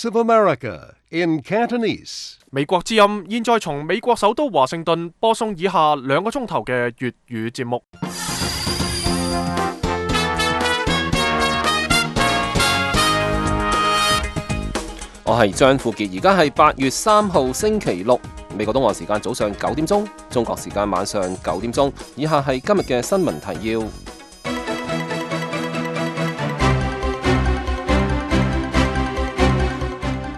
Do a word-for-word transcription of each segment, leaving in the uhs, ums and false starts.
of America in Cantonese. 美國之音現在從美國首都華盛頓播送以下兩個鐘頭嘅粵語節目。我係張富傑，而家係八月三號星期六，美國東岸時間早上九點鐘，中國時間晚上九點鐘。以下係今日嘅新聞提要。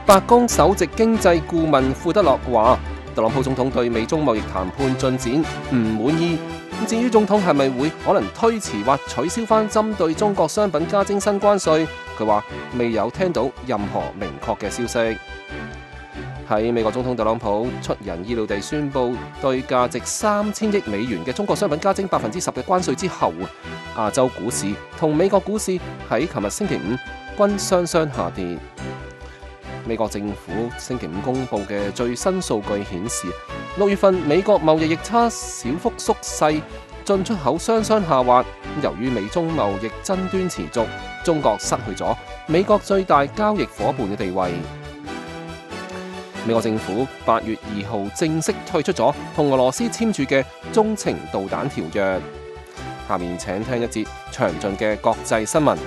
白宮首席經濟顧問庫德洛話，特朗普總統對美中貿易談判進展唔滿意。至於總統係咪會可能推遲或取消翻針對中國商品加徵新關稅，佢話未有聽到任何明確嘅消息。喺美國總統特朗普出人意料地宣布對價值三千億美元嘅中國商品加徵百分之十嘅關稅之後，亞洲股市同美國股市喺琴日星期五均雙雙下跌。美國政府星期五公布嘅最新數據顯示，六月份美國貿易逆差小幅縮細，進出口雙雙下滑。由於美中貿易爭端持續，中國失去咗美國最大交易夥伴嘅地位。美國政府八月二號正式退出咗同俄羅斯簽署嘅中程導彈條約。下面請聽一節詳盡嘅國際新聞。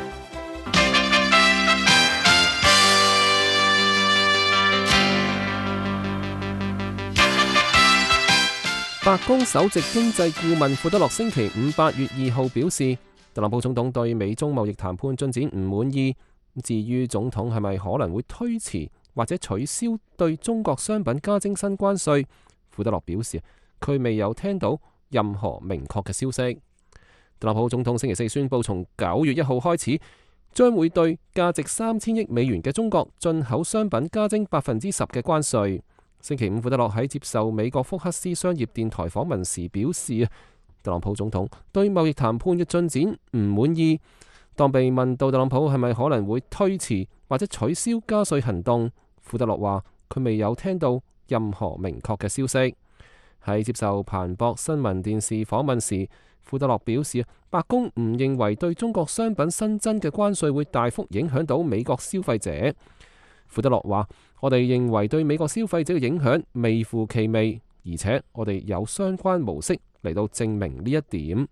白宮首席經濟顧問庫德洛星期五八月二號表示，特朗普總統對美中貿易談判進展唔滿意。至於總統係咪可能會推遲或者取消對中國商品加徵新關稅，庫德洛表示佢未有聽到任何明確嘅消息。特朗普總統星期四宣布，從九月一號開始，將會對價值三千億美元嘅中國進口商品加徵百分之十嘅關稅。星期五，庫德洛喺接受美國福克斯商業電台訪問時表示，特朗普總統對貿易談判嘅進展唔滿意。當被問到特朗普係咪可能會推遲或者取消加稅行動，庫德洛話佢未有聽到任何明確嘅消息。喺接受彭博新聞電視訪問時，庫德洛表示，白宮唔認為對中國商品新增嘅關稅會大幅影響到美國消費者。庫德洛話，我哋認為對美國消費者嘅影響微乎其微，而且我哋有相關模式嚟到證明呢一點。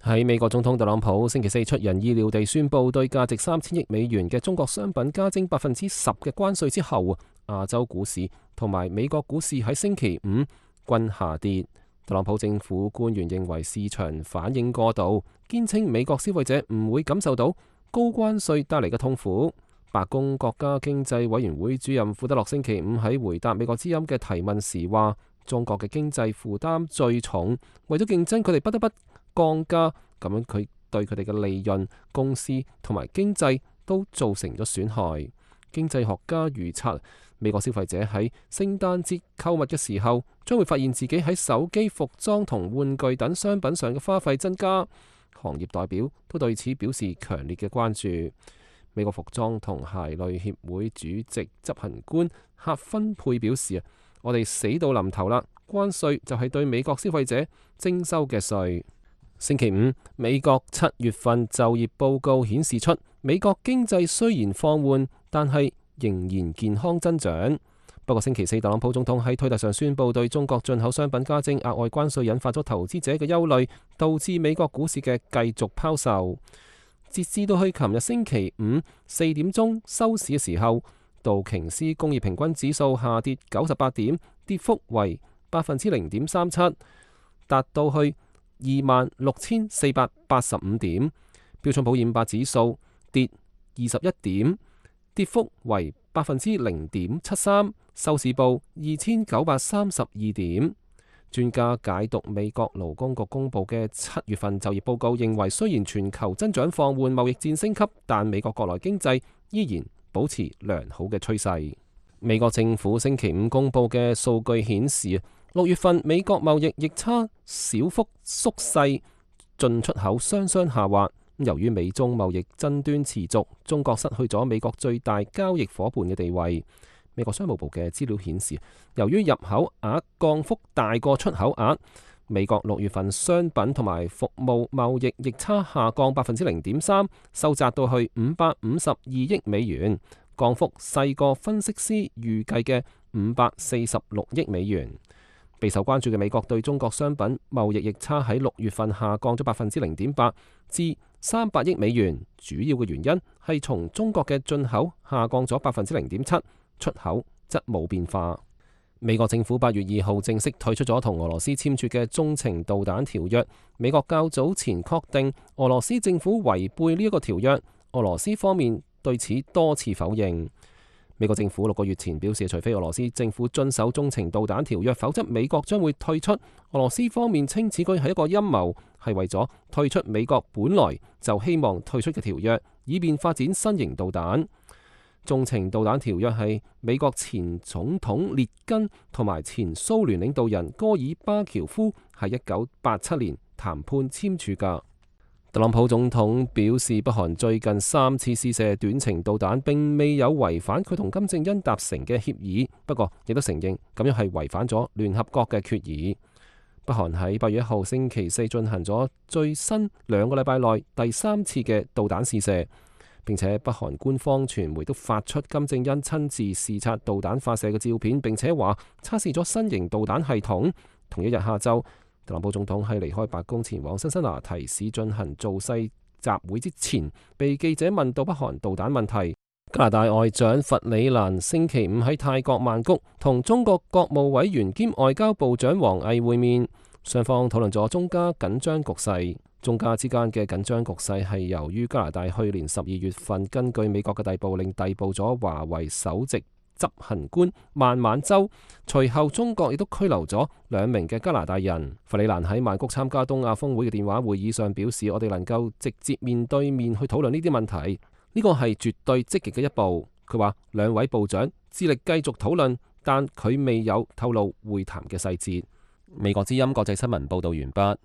喺美國總統特朗普星期四出人意料地宣布對價值三千億美元嘅中國商品加徵百分之十嘅關稅之後，亞洲股市同埋美國股市喺星期五均下跌。特朗普政府官員認為市場反應過度，堅稱美國消費者唔會感受到高關稅帶嚟嘅痛苦。白宮國家經濟委員會主任庫德洛星期五喺回答美國之音嘅提問時話，中國嘅經濟負擔最重，為咗競爭佢哋不得不降價，咁樣佢對佢哋嘅利潤、公司同埋經濟都造成咗損害。經濟學家預測，美國消費者喺聖誕節購物嘅時候，將會發現自己喺手機、服裝同玩具等商品上嘅花費增加。行業代表都對此表示強烈嘅關注。美國服裝同鞋類協會主席執行官赫芬佩表示，我哋死到臨頭啦，關稅就係對美國消費者徵收嘅稅。星期五，美國七月份就業報告顯示出，美國經濟雖然放緩，但係仍然健康增長。不過星期四，特朗普總統喺推特上宣布對中國進口商品加徵額外關稅，引發咗投資者嘅憂慮，導致美國股市嘅繼續拋售。截至到去琴日星期五四點鐘收市嘅時候，道瓊斯工業平均指數下跌九十八點，跌幅為百分之零點三七，達到去二萬六千四百八十五點。標準普爾五百指數跌二十一點，跌幅為百分之零點七三，收市報二千九百三十二點。專家解讀美國勞工局公布嘅七月份就業報告，認為雖然全球增長放緩、貿易戰升級，但美國國內經濟依然保持良好嘅趨勢。美國政府星期五公布嘅數據顯示，六月份美國貿易逆差小幅縮細，進出口雙雙下滑。由於美中貿易爭端持續，中國失去咗美國最大交易夥伴嘅地位。美國商務部嘅資料顯示，由於入口額降幅大過出口額，美國六月份商品同埋服務貿易逆差下降百分之零點三，收窄到去五百五十二億美元，降幅細過分析師預計嘅五百四十六億美元。備受關注嘅美國對中國商品貿易逆差喺六月份下降咗百分之零點八至三百億美元，主要嘅原因係從中國嘅進口下降咗百分之零點七，出口則冇變化。美國政府八月二號正式退出咗同俄羅斯簽署嘅中程導彈條約。美國較早前確定俄羅斯政府違背呢一個條約，俄羅斯方面對此多次否認。美國政府六個月前表示，除非俄羅斯政府遵守中程導彈條約，否則美國將會退出。俄羅斯方面稱此舉係一個陰謀，係為咗退出美國本來就希望退出嘅條約，以便發展新型導彈。中程導彈條約係美國前總統列根同埋前蘇聯領導人戈爾巴喬夫喺一九八七年談判簽署㗎。特朗普總統表示，北韓最近三次試射短程導彈並未有違反佢同金正恩達成嘅協議，不過亦都承認咁樣係違反咗聯合國嘅決議。北韓喺八月一號星期四進行咗最新兩個禮拜內第三次嘅導彈試射，並且北韓官方傳媒都發出金正恩親自視察導彈發射嘅照片，並且話測試咗新型導彈系統。同一日下晝，特朗普總統喺離開白宮前往辛辛那提市進行造勢集會之前，被記者問到北韓導彈問題。加拿大外長弗里蘭星期五喺泰國曼谷同中國國務委員兼外交部長王毅會面，雙方討論咗中加緊張局勢。中加之間嘅緊張局勢係由於加拿大去年十二月份根據美國嘅逮捕令逮捕咗華為首席執行官孟晚舟，隨後中國亦都拘留咗兩名嘅加拿大人。弗里蘭喺曼谷參加東亞峰會嘅電話會議上表示，我哋能夠直接面對面去討論呢啲問題，呢個係絕對積極嘅一步。佢話兩位部長致力繼續討論，但佢未有透露會談嘅細節。美國之音國際新聞報道完畢。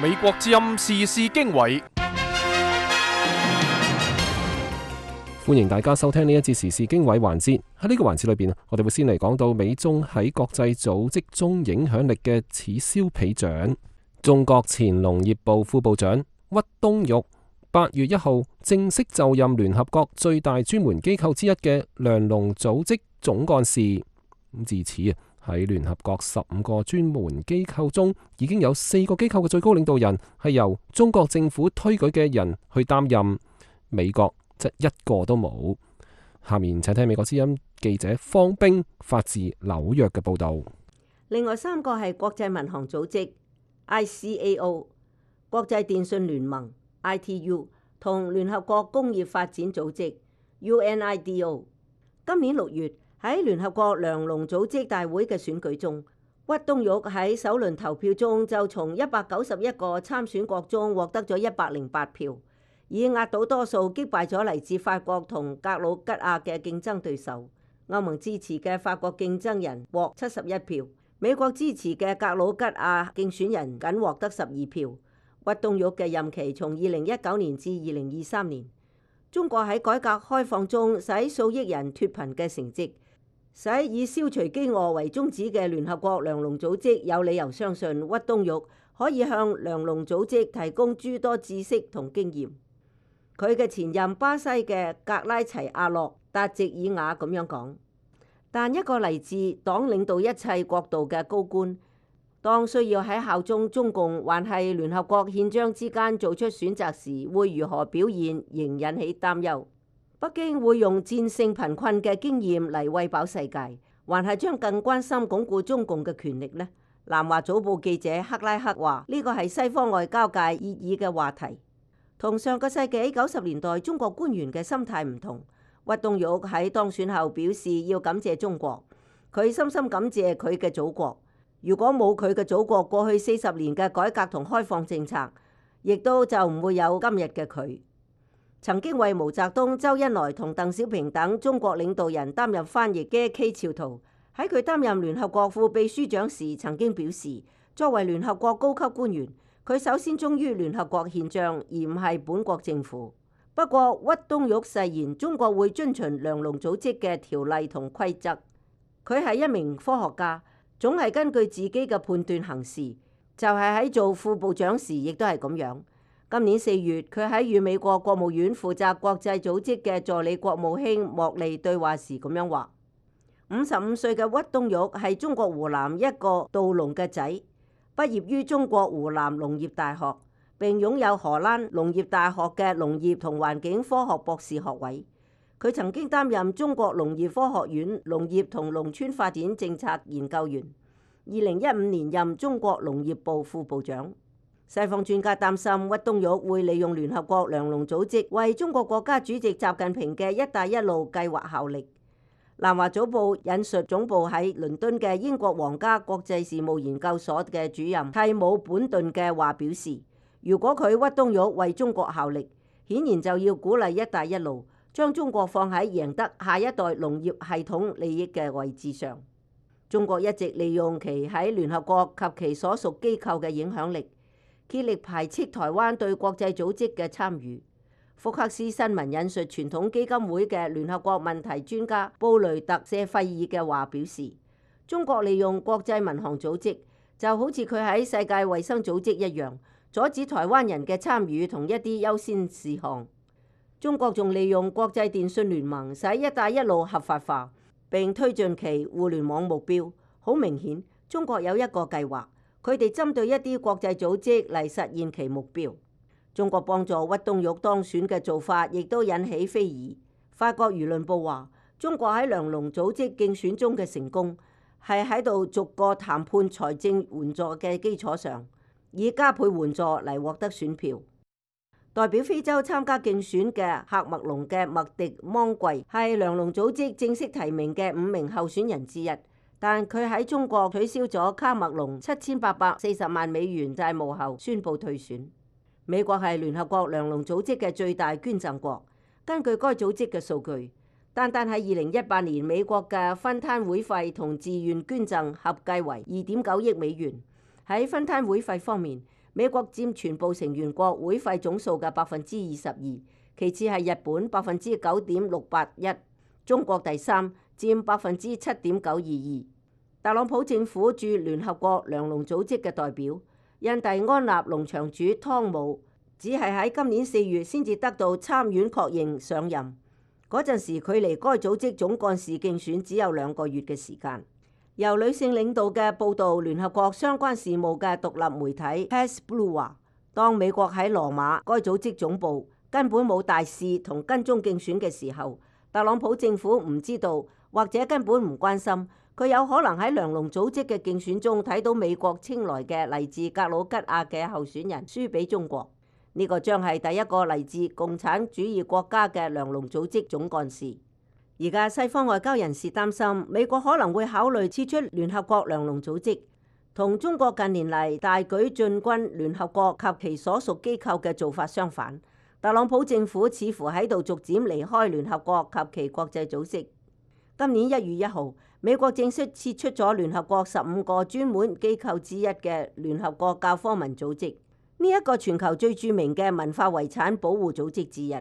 美國之音時事經緯。歡迎大家收聽呢一節時事經緯環節。喺呢個環節裏邊，我哋會先嚟講到美中喺國際組織中影響力嘅此消彼長。中國前農業部副部長屈冬玉八月一號正式就任聯合國最大專門機構之一嘅糧農組織總幹事。咁自此啊，喺聯合國十五個專門機構中，已經有四個機構嘅最高領導人係由中國政府推舉嘅人去擔任，美國則一個都冇。下面請聽美國之音記者方冰發自紐約嘅報道。另外三個係國際民航組織 I C A O、國際電信聯盟 I T U 同聯合國工業發展組織 U N I D O。今年六月喺聯合國糧農組織大會嘅選舉中，屈冬玉喺首輪投票中就從一百九十一個參選國中獲得咗一百零八票，以壓倒多數擊敗咗嚟自法國同格魯吉亞嘅競爭對手。歐盟支持嘅法國競爭人獲七十一票，美國支持嘅格魯吉亞競選人僅獲得十二票。屈冬玉嘅任期從二零一九年至二零二三年。中國喺改革開放中使數億人脫貧嘅成績，使以消除飢餓為宗旨嘅聯合國糧農組織有理由相信屈冬玉可以向糧農組織提供諸多知識同經驗。佢嘅前任巴西嘅格拉齊亞洛達席爾瓦咁樣講，但一個嚟自黨領導一切國度嘅高官，當需要喺效忠中共還係聯合國憲章之間做出選擇時，會如何表現，仍引起擔憂。北京會用戰勝貧困嘅經驗嚟餵飽世界，還係將更關心鞏固中共嘅權力呢？南華早報記者克拉克話：呢個係西方外交界熱議嘅話題。同上個世紀九十年代中國官員嘅心態唔同，屈冬玉喺當選後表示要感謝中國，佢深深感謝佢嘅祖國。如果冇佢嘅祖國過去四十年嘅改革同開放政策，亦都就唔會有今日嘅佢。曾經為毛澤東、周恩來同鄧小平等中國領導人擔任翻譯嘅K潮圖，喺佢擔任聯合國副秘書長時曾經表示，作為聯合國高級官員，佢首先忠於聯合國憲章，而唔係本國政府。不過屈冬玉誓言中國會遵循糧農組織嘅條例同規則。佢係一名科學家，總係根據自己嘅判斷行事，就係喺做副部長時亦都係咁樣。今年四月，佢喺與美國國務院負責國際組織嘅助理國務卿莫利對話時咁樣話：五十五歲嘅屈冬玉係中國湖南一個稻農嘅仔，畢業於中國湖南農業大學，並擁有荷蘭農業大學嘅農業同環境科學博士學位。佢曾經擔任中國農業科學院農業同農村發展政策研究員，二零一五年任中國農業部副部長。西方專家擔心屈冬玉會利用聯合國糧農組織為中國國家主席習近平嘅一帶一路計劃效力。南華早報引述總部喺倫敦嘅英國皇家國際事務研究所嘅主任蒂姆本頓嘅話表示，如果佢屈冬玉為中國效力，顯然就要鼓勵一帶一路，將中國放喺贏得下一代農業系統利益嘅位置上。中國一直利用其喺聯合國及其所屬機構嘅影響力，竭力排斥台灣對國際組織嘅參與。福克斯新聞引述傳統基金會嘅聯合國問題專家布雷特謝費爾嘅話表示，中國利用國際民航組織就好似佢喺世界衛生組織一樣，阻止台灣人嘅參與同一啲優先事項。中國仲利用國際電信聯盟使一帶一路合法化，並推進其互聯網目標。好明顯，中國有一個計劃，佢哋針對一啲國際組織嚟實現其目標。中國幫助屈冬玉當選嘅做法亦都引起非議。法國輿論報話，中國喺糧農組織競選中嘅成功係喺度逐個談判財政援助嘅基礎上，以加倍援助嚟獲得選票。代表非洲參加競選嘅喀麥隆嘅麥迪芒貴係糧農組織正式提名嘅五名候選人之一，但佢喺中國取消咗喀麥隆七千八百四十萬美元債務後宣布退選。美國係聯合國糧農組織嘅最大捐贈國，根據該組織嘅數據，單單喺二零一八年，美國嘅分攤會費同自願捐贈合計為二點九億美元。喺分攤會費方面，美國佔全部成員國會費總數嘅百分之二十二，其次係日本百分之九點六八一，中國第三，佔百分之七點九二二。特朗普政府駐聯合國糧農組織嘅代表印第安納農場主湯姆，只係喺今年四月先至得到參院確認上任。嗰陣時，距離該組織總幹事競選只有兩個月嘅時間。由女性領導嘅報導聯合國相關事務嘅獨立媒體 Press Blue 話，當美國喺羅馬該組織總部根本冇大使同跟蹤競選嘅時候，特朗普政府唔知道或者根本唔關心。佢有可能喺糧農組織嘅競選中睇到美國青睞嘅嚟自格魯吉亞嘅候選人輸俾中國，呢、這個將係第一個嚟自共產主義國家嘅糧農組織總幹事。而家西方外交人士擔心美國可能會考慮撤出聯合國糧農組織，同中國近年嚟大舉進軍聯合國及其所屬機構嘅做法相反。特朗普政府似乎喺度逐漸離開聯合國及其國際組織。今年一月一號，美國正式撤出咗聯合國十五個專門機構之一嘅聯合國教科文組織，呢、這、一個全球最著名嘅文化遺產保護組織之一。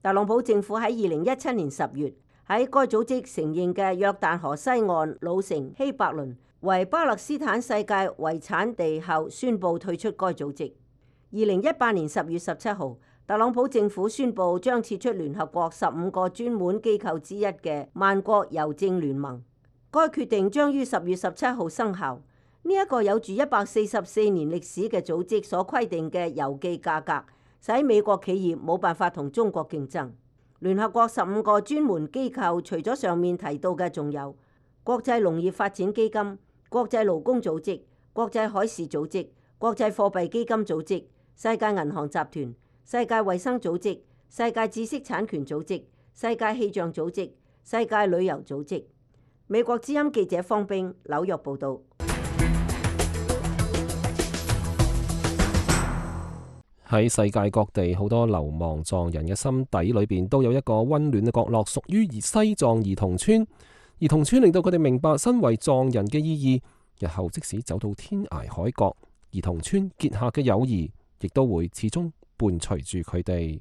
特朗普政府喺二零一七年十月喺該組織承認嘅約旦河西岸老城希伯倫為巴勒斯坦世界遺產地後，宣布退出該組織。二零一八年十月十七號，特朗普政府宣布將撤出聯合國十五個專門機構之一嘅萬國郵政聯盟。該決定將於十月十七號生效。呢、這、一個有住一百四十四年歷史嘅組織所規定嘅郵寄價格，使美國企業冇辦法同中國競爭。聯合國十五個專門機構，除咗上面提到嘅，仲有國際農業發展基金、國際勞工組織、國際海事組織、國際貨幣基金組織、世界銀行集團、世界衛生組織、世界知識產權組織、世界氣象組織、世界旅遊組織。美國之音記者方冰紐約報道。喺世界各地，好多流亡藏人嘅心底裏邊都有一個溫暖嘅角落，屬於西藏兒童村。兒童村令到佢哋明白身為藏人嘅意義。日後即使走到天涯海角，兒童村結下嘅友誼亦都會始終伴隨住佢哋。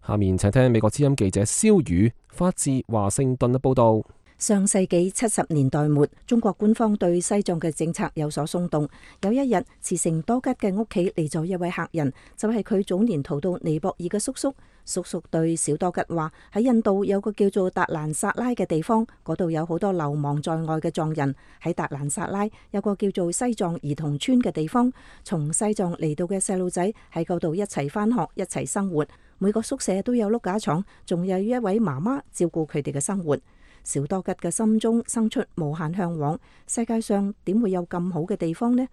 下面請聽美國之音記者蕭宇發自華盛頓嘅報道。上世紀七十年代末，中國官方對西藏嘅政策有所鬆動。有一日，慈城多吉嘅屋企嚟咗一位客人，就係佢早年逃到尼泊爾嘅叔叔。叔叔對小多吉話：喺印度有個叫做達蘭薩拉嘅地方，嗰度有好多流亡在外嘅藏人。喺達蘭薩拉有個叫做西藏兒童村嘅地方，從西藏嚟到嘅細路仔喺嗰度一齊返學，一齊生活。每個宿舍都有碌架床，仲有一位媽媽照顧佢哋嘅生活。小多吉嘅心中生出無限向往，世界上點會有咁好嘅地方呢？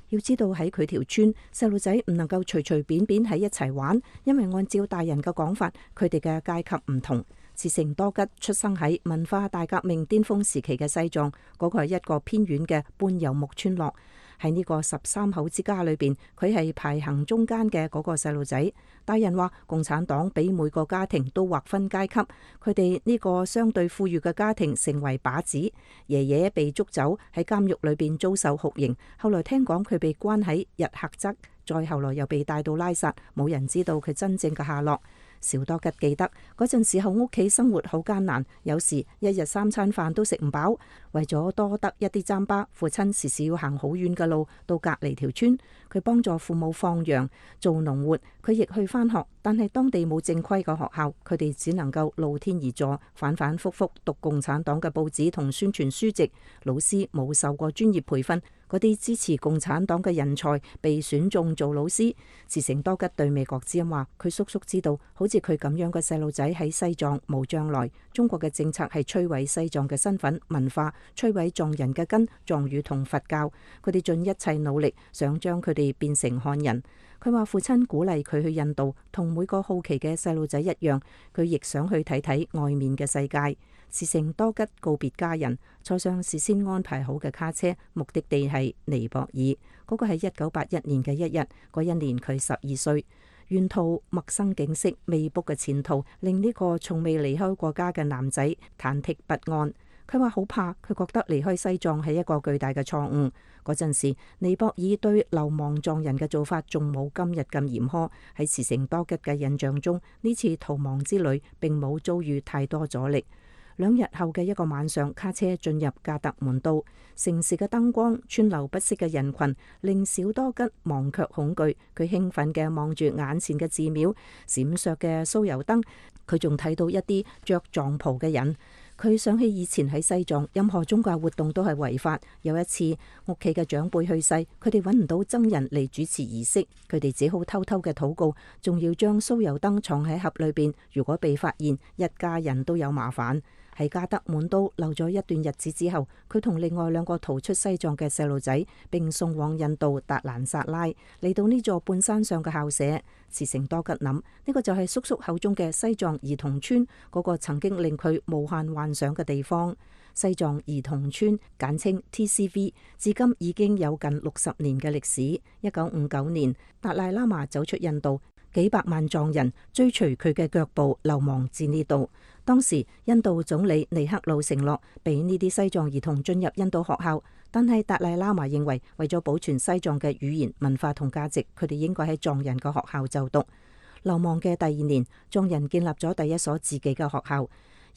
要知道喺佢條村，細路仔唔能夠隨隨便便喺一齊玩，因為按照大人嘅講法，佢哋嘅階級唔同。慈城多吉出生喺文化大革命巔峰時期嘅西藏，嗰個係一個偏遠嘅半遊牧村落。喺呢個十三口之家裏邊，佢係排行中間嘅嗰個細路仔。大人話共產黨俾每個家庭都劃分階級，佢哋呢個相對富裕嘅家庭成為靶子。爺爺被捉走喺監獄裏邊遭受酷刑，後來聽講佢被關喺日喀則，再後來又被帶到拉薩，冇人知道佢真正嘅下落。小多吉記得嗰陣時候，屋企生活好艱難，有時一日三餐飯都食唔飽。為咗多得一啲糌粑，父親時時要行好遠嘅路到隔離條村。佢幫助父母放羊、做農活，佢亦去返學，但係當地冇正規嘅學校，佢哋只能夠露天而坐，反反复复讀共產黨嘅報紙同宣傳書籍。老師冇受過專業培訓，嗰啲支持共產黨嘅人才被選中做老師。慈城多吉對美國之音話：佢叔叔知道，好似佢咁樣嘅細路仔喺西藏冇將來。中國嘅政策係摧毀西藏嘅身份文化，摧毀藏人嘅根、藏語同佛教。佢哋盡一切努力想將佢哋變成漢人。佢話父親鼓勵佢去印度，同每個好奇嘅細路仔一樣，佢亦想去睇睇外面嘅世界。慈城多吉告別家人，坐上事先安排好嘅卡車，目的地係尼泊爾。嗰個係一九八一年嘅一日，嗰一年佢十二歲。沿途陌生景色、未卜嘅前途，令呢個從未離開過家嘅男仔忐忑不安。佢話好怕，佢覺得離開西藏係一個巨大嘅錯誤。嗰陣時，尼泊爾對流亡藏人嘅做法仲冇今日咁嚴苛。喺慈城多吉嘅印象中，呢次逃亡之旅並冇遭遇太多阻力。兩日後嘅一個晚上，卡車進入加德滿都，城市嘅燈光、川流不息嘅人群，令小多吉忘卻恐懼。佢興奮嘅望住眼前嘅寺廟、閃爍嘅酥油燈，佢仲睇到一啲着藏袍嘅人。佢想起以前喺西藏，任何宗教活動都係違法。有一次，屋企嘅長輩去世，佢哋揾唔到僧人嚟主持儀式，佢哋只好偷偷嘅禱告，仲要將酥油燈藏喺盒裏邊。如果被發現，一家人都有麻煩。喺加德滿都留咗一段日子之後，佢同另外兩個逃出西藏嘅細路仔並送往印度達蘭薩拉，嚟到呢座半山上嘅校舍。慈城多吉諗，呢個就係叔叔口中嘅西藏兒童村，嗰個曾經令佢無限幻想嘅地方。西藏兒童村簡稱 T C V， 至今已經有近六十年嘅歷史。一九五九年，達賴喇嘛走出印度，幾百萬藏人追隨佢嘅腳步流亡至呢度。當時印度總理尼赫魯承諾俾呢啲西藏兒童進入印度學校，但係達賴喇嘛認為為咗保存西藏嘅語言文化同價值，佢哋應該喺藏人嘅學校就讀。流亡嘅第二年，藏人建立咗第一所自己嘅學校。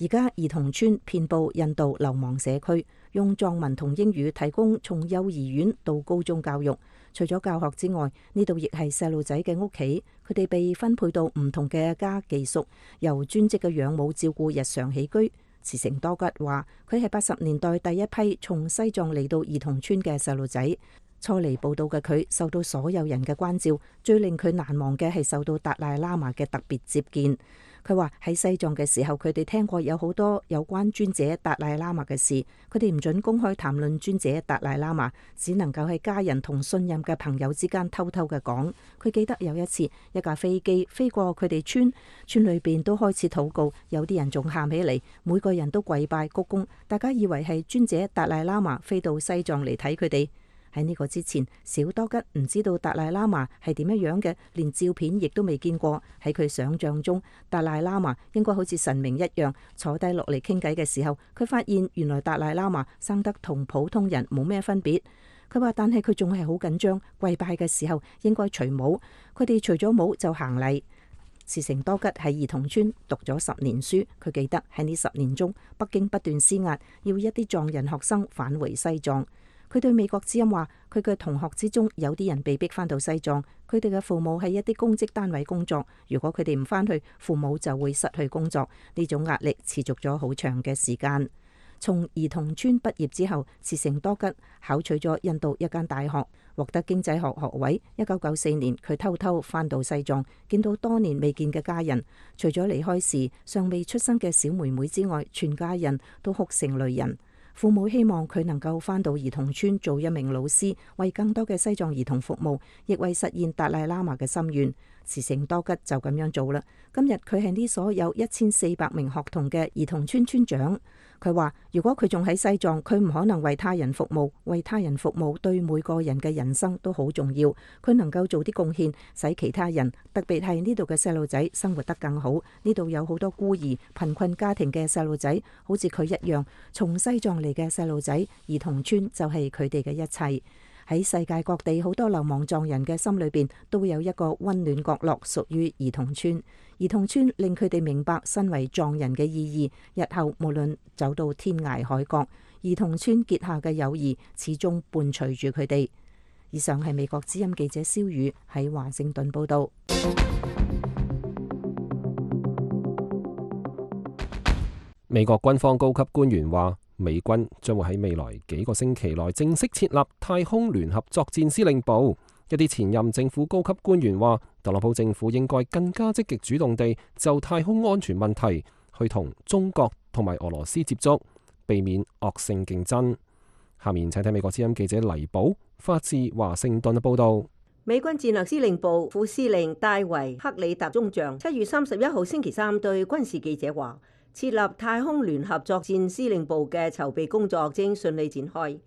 而家兒童村遍佈印度流亡社區，用藏文同英語提供從幼兒園到高中教育。除咗教學之外，呢度亦係細路仔嘅屋企，佢哋被分配到唔同嘅家寄宿，由專職嘅養母照顧日常起居。慈城多吉話，佢係八十年代第一批從西藏嚟到兒童村嘅細路仔。初嚟報到嘅佢受到所有人嘅關照，最令佢難忘嘅係受到達賴喇嘛嘅特別接見。佢話喺西藏嘅時候，佢哋聽過有好多有關尊者達賴喇嘛嘅事，佢哋唔准公開談論尊者達賴喇嘛，只能夠喺家人同信任嘅朋友之間偷偷嘅講。佢記得有一次，一架飛機飛過佢哋村，村裏邊都開始禱告，有啲人仲喊起嚟，每個人都跪拜鞠躬，大家以為係尊者達賴喇嘛飛到西藏嚟睇佢哋。喺呢個之前，小多吉唔知道達賴喇嘛係點樣樣嘅，連照片亦都未見過。喺佢想象中，達賴喇嘛應該好似神明一樣，坐低落嚟傾偈嘅時候，佢發現原來達賴喇嘛生得同普通人冇咩分別。佢話，但係佢仲係好緊張，跪拜嘅時候應該除帽，佢哋除咗帽就行禮。茨成多吉喺兒童村讀咗十年書，佢記得喺呢十年中，北京不斷施壓，要一啲藏人學生返回西藏。佢對美國之音話，佢嘅同學之中有啲人被逼返到西藏，佢哋嘅父母喺一啲公職單位工作，如果佢哋唔返去，父母就會失去工作。呢種壓力持續咗好長嘅時間。從兒童村畢業之後，茨成多吉考取咗印度一間大學，獲得經濟學學位。一九九四年，佢偷偷返到西藏，見到多年未見嘅家人，除咗離開時尚未出生嘅小妹妹之外，全家人都哭成淚人。父母希望佢能夠返到兒童村做一名老師，為更多嘅西藏兒童服務，亦為實現達賴喇嘛嘅心願。茨成多吉就咁樣做啦。今日佢係呢所有一千四百名學童嘅兒童村村長。佢話如果佢仲喺西藏，佢唔可能為他人服務，為他人服務對每個人嘅人生都好重要。佢能夠做啲貢獻，使其他人，特別係呢度嘅細路仔生活得更好。呢度有好多孤兒貧困家庭嘅細路仔，好似佢一樣從西藏嚟嘅細路仔，兒童村就係佢哋嘅一切。喺世界各地好多流亡藏人嘅心裏邊都有一個溫暖角落屬於兒童村。兒童村令佢哋明白身為藏人嘅意義，日後無論走到天涯海角，兒童村結下嘅友誼始終伴隨住佢哋。以上係美國之音記者蕭宇喺華盛頓報道。美國軍方高級官員話，美軍將會喺未來幾個星期內正式設立太空聯合作戰司令部。一啲前任政府高級官員話，特朗普政府應該更加積極主動地就太空安全問題去同中國同埋俄羅斯接觸，避免惡性競爭。下面請睇美國之音記者黎寶發自華盛頓嘅報道。美軍戰略司令部副司令戴維克里特中將七月三十一號星期三對軍事記者話，設立太空聯合作戰司令部嘅籌備工作正順利展開，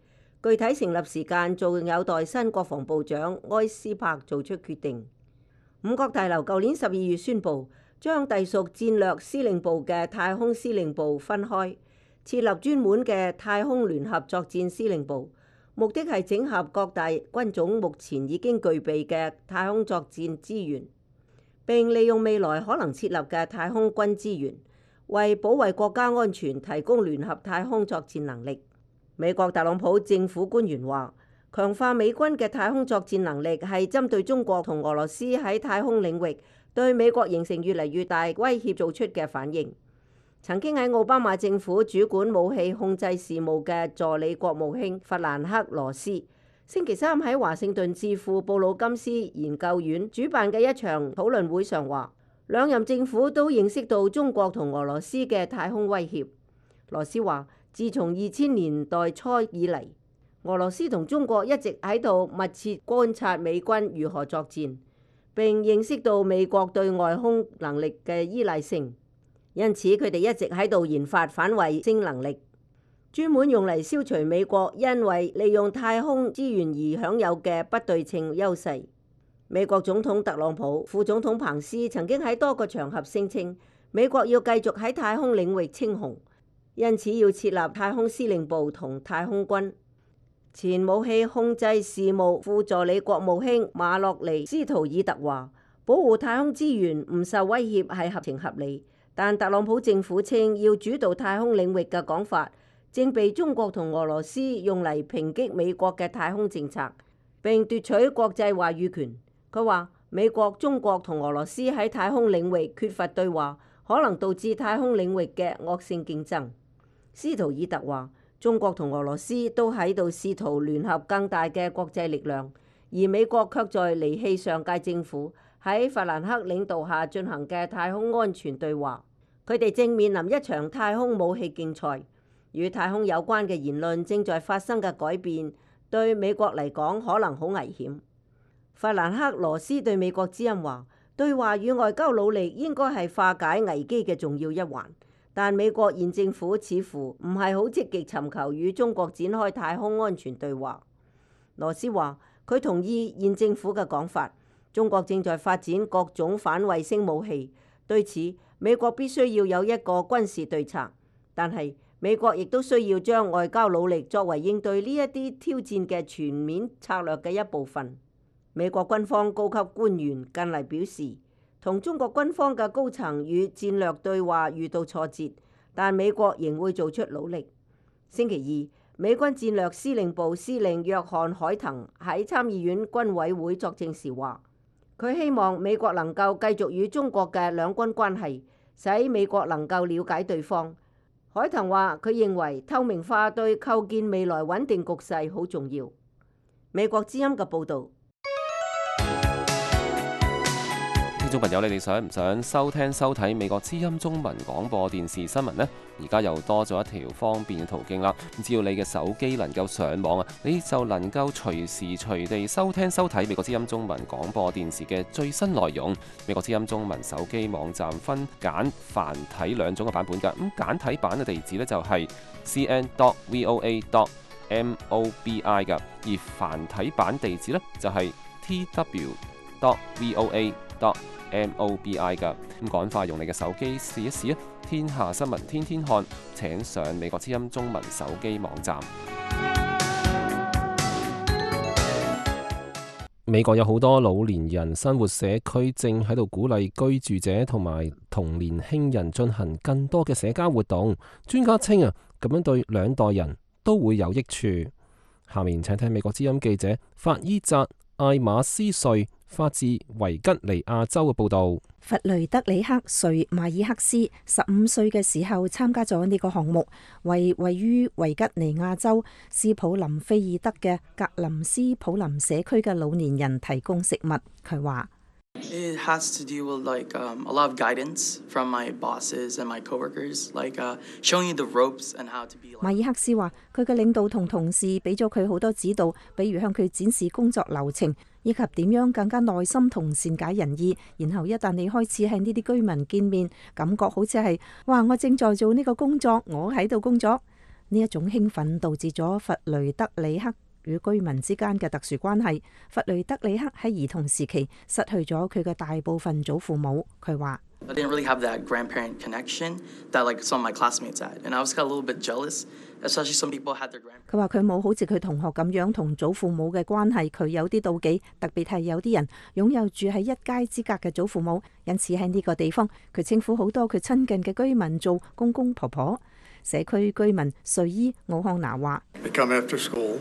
具體成立時間仲有待新國防部長埃斯珀做出決定。五角大樓舊年十二月宣布，將隸屬戰略司令部嘅太空司令部分開，設立專門嘅太空聯合作戰司令部，目的係整合各大軍種目前已經具備嘅太空作戰資源，並利用未來可能設立嘅太空軍資源，為保衛國家安全提供聯合太空作戰能力。美國特朗普政府官員話，強化美軍嘅太空作戰能力係針對中國同俄羅斯喺太空領域對美國形成越嚟越大威脅做出嘅反應。曾經喺奧巴馬政府主管武器控制事務嘅助理國務卿弗蘭克羅斯，星期三喺華盛頓智庫布魯金斯研究院主辦嘅一場討論會上話，兩任政府都認識到中國同俄羅斯嘅太空威脅。羅斯話，自從二千年代初以嚟，俄羅斯同中國一直喺度密切觀察美軍如何作戰，並認識到美國對外空能力嘅依賴性，因此佢哋一直喺度研發反衛星能力，專門用嚟消除美國因為利用太空資源而享有嘅不對稱優勢。美國總統特朗普、副總統彭斯曾經喺多個場合聲稱，美國要繼續喺太空領域稱雄，因此要設立太空司令部同太空軍。前武器控制事務副助理國務卿馬洛尼斯圖爾特話，保護太空資源唔受威脅係合情合理，但特朗普政府稱要主導太空領域嘅講法，正被中國同俄羅斯用嚟抨擊美國嘅太空政策，並奪取國際話語權。佢話美國、中國同俄羅斯喺太空領域缺乏對話，可能導致太空領域嘅惡性競爭。斯圖爾特話，中國同俄羅斯都喺度試圖聯合更大嘅國際力量，而美國卻在離棄上屆政府喺弗蘭克領導下進行嘅太空安全對話。佢哋正面臨一場太空武器競賽，與太空有關嘅言論正在發生嘅改變，對美國嚟講可能好危險。弗蘭克羅斯對美國之音話，對話與外交努力應該係化解危機嘅重要一環，但美國現政府似乎唔係好積極尋求與中國展開太空安全對話。羅斯話，佢同意現政府嘅講法，中國正在發展各種反衛星武器，對此美國必須要有一個軍事對策，但係美國亦都需要將外交努力作為應對呢一啲挑戰嘅全面策略嘅一部分。美國軍方高級官員近嚟表示，同中國軍方嘅高層與戰略對話遇到挫折，但美國仍會做出努力。星期二，美軍戰略司令部司令約翰海騰喺參議院軍委會作證時話，佢希望美國能夠繼續與中國嘅兩軍關係，使美國能夠了解對方。海騰話，佢認為透明化對構建未來穩定局勢好重要。美國之音嘅報導。聽眾朋友，你哋想唔想收聽收睇美國之音中文廣播電視新聞呢？而家又多咗一條方便嘅途徑啦！只要你嘅手機能夠上網啊，你就能夠隨時隨地收聽收睇美國之音中文廣播電視嘅最新內容。美國之音中文手機網站分簡繁體兩種嘅版本㗎。咁簡體版嘅地址呢，就係 c n dot voa dot mobi 㗎，而繁體版地址呢，就係 t w dot voa dot mobi 㗎。咁趕快用你嘅手機試一試啊！天下新聞天天看，請上美國之音中文手機網站。美國有好多老年人生活社區正喺度鼓勵居住者同埋同年輕人進行更多嘅社交活動。專家稱啊，咁樣對兩代人都會有益處。下面請聽美國之音記者法伊扎艾馬斯瑞發自維吉尼亞州嘅報道。弗雷德里克瑞馬爾克斯十五歲嘅時候參加咗呢個項目，為位於維吉尼亞州斯普林菲爾德嘅格林斯普林社區嘅老年人提供食物。佢話：It has to do with like um, a lot of guidance from my bosses and my coworkers, like uh, showing you the ropes and how to be. 馬爾克斯話：佢嘅領導同同事俾咗佢好多指導，比如向佢展示工作流程，以及點樣更加耐心同善解人意。然後一旦你開始喺呢啲居民見面，感覺好似係哇，我正在做呢個工作，我喺度工作。呢一種興奮導致咗弗雷德里克與居民之間嘅特殊關係。弗雷德里克喺兒童時期失去咗佢嘅大部分祖父母。佢話I didn't really have that grandparent connection that like some of my classmates had, and I was got a little bit jealous, especially some people had their grandparents. 佢話佢冇好似佢同學咁樣同祖父母嘅關係，佢有啲妒忌，特別係有啲人擁有住喺一街之隔嘅祖父母，因此喺呢個地方，佢稱呼好多佢親近嘅居民做公公婆婆。社區居民瑞伊奧康拿話They come after school,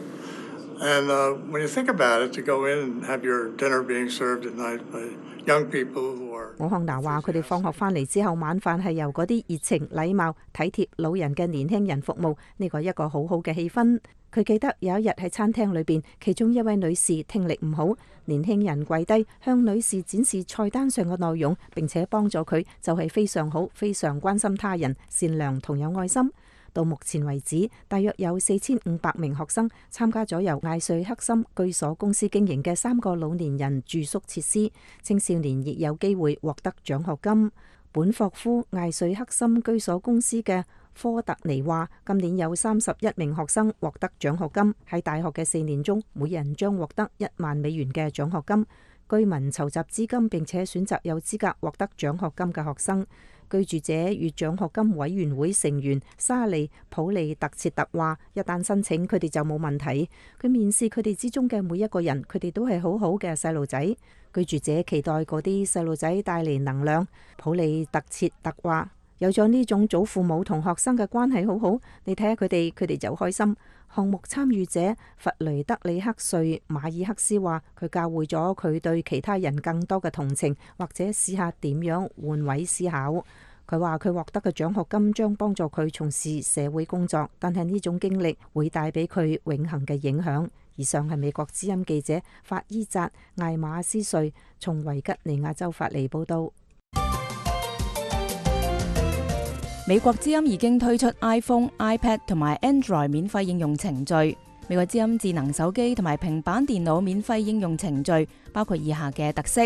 and uh, when you think about it, to go in and have your dinner being served at night by young people who are. 奧康拿話：佢哋放學翻嚟之後，晚飯係由嗰啲熱情、禮貌、體貼老人嘅年輕人服務，呢個係一個好好嘅氣氛。佢記得有一日喺餐廳裏邊，其中一位女士聽力唔好，年輕人跪低向女士展示菜單上嘅內容，並且幫助佢，就係非常好，非常關心他人，善良同有愛心。到目前為止，大約有四千五百名學生參加咗由艾瑞克森居所公司經營嘅三個老年人住宿設施，青少年亦有機會獲得獎學金。本霍夫艾瑞克森居所公司嘅科特尼話，今年有三十一名學生獲得獎學金，喺大學嘅四年中，每人將獲得一萬美元嘅獎學金。居民籌集資金並且選擇有資格獲得獎學金嘅學生。居住者與獎學金委員會成員沙利普利特切特話：一旦申請，佢哋就冇問題。佢面試佢哋之中嘅每一個人，佢哋都係好好嘅細路仔。居住者期待嗰啲細路仔帶嚟能量。普利特切特話：有咗呢種祖父母同學生嘅關係好好，你睇下佢哋，佢哋就開心。項目參與者弗雷德里克瑞馬爾克斯話：佢教會咗佢對其他人更多嘅同情，或者試下點樣換位思考。佢話佢獲得嘅獎學金將幫助佢從事社會工作，但係呢種經歷會帶俾佢永恆嘅影響。以上係美國之音記者法伊扎艾馬斯瑞從維吉尼亞州發嚟報道。美國之音已經推出 iPhone、iPad 同埋 Android 免費應用程序。美國之音智能手機同埋平板電腦免費應用程序包括以下嘅特色：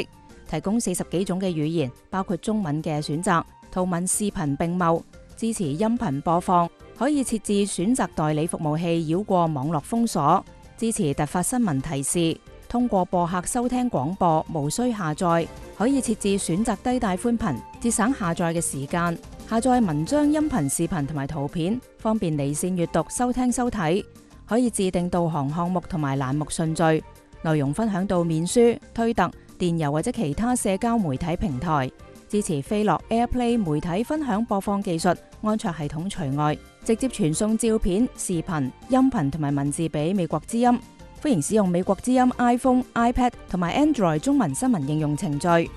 提供四十幾種嘅語言，包括中文嘅選擇，圖文視頻並茂，支持音頻播放，可以設置選擇代理服務器繞過網絡封鎖，支持突發新聞提示，通過播客收聽廣播，無需下載，可以設置選擇低帶寬頻，節省下載嘅時間。下載文章、音頻、視頻同埋圖片，方便離線閱讀、收聽、收睇。可以自定導航項目同埋欄目順序，內容分享到面書、推特、電郵或者其他社交媒體平台。支持飛樂 AirPlay 媒體分享播放技術，安卓系統除外，直接傳送照片、視頻、音頻同埋文字俾美國之音。歡迎使用美國之音 iPhone、iPad 同埋 Android 中文新聞應用程序。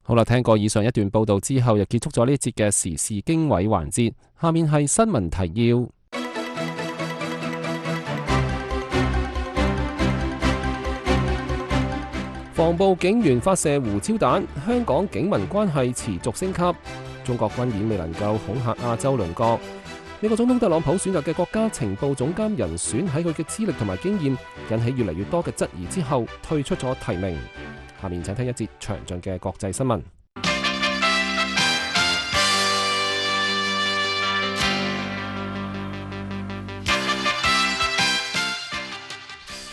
好啦，聽過以上一段報道之後，又結束咗呢一節嘅時事經緯環節。下面係新聞提要。防暴警員發射胡椒彈，香港警民關係持續升級。中國軍演未能夠恐嚇亞洲鄰國。美國總統特朗普選擇嘅國家情報總監人選喺佢嘅資歷同埋經驗引起越嚟越多嘅質疑之後，退出咗提名。下面請聽一節詳盡嘅國際新聞。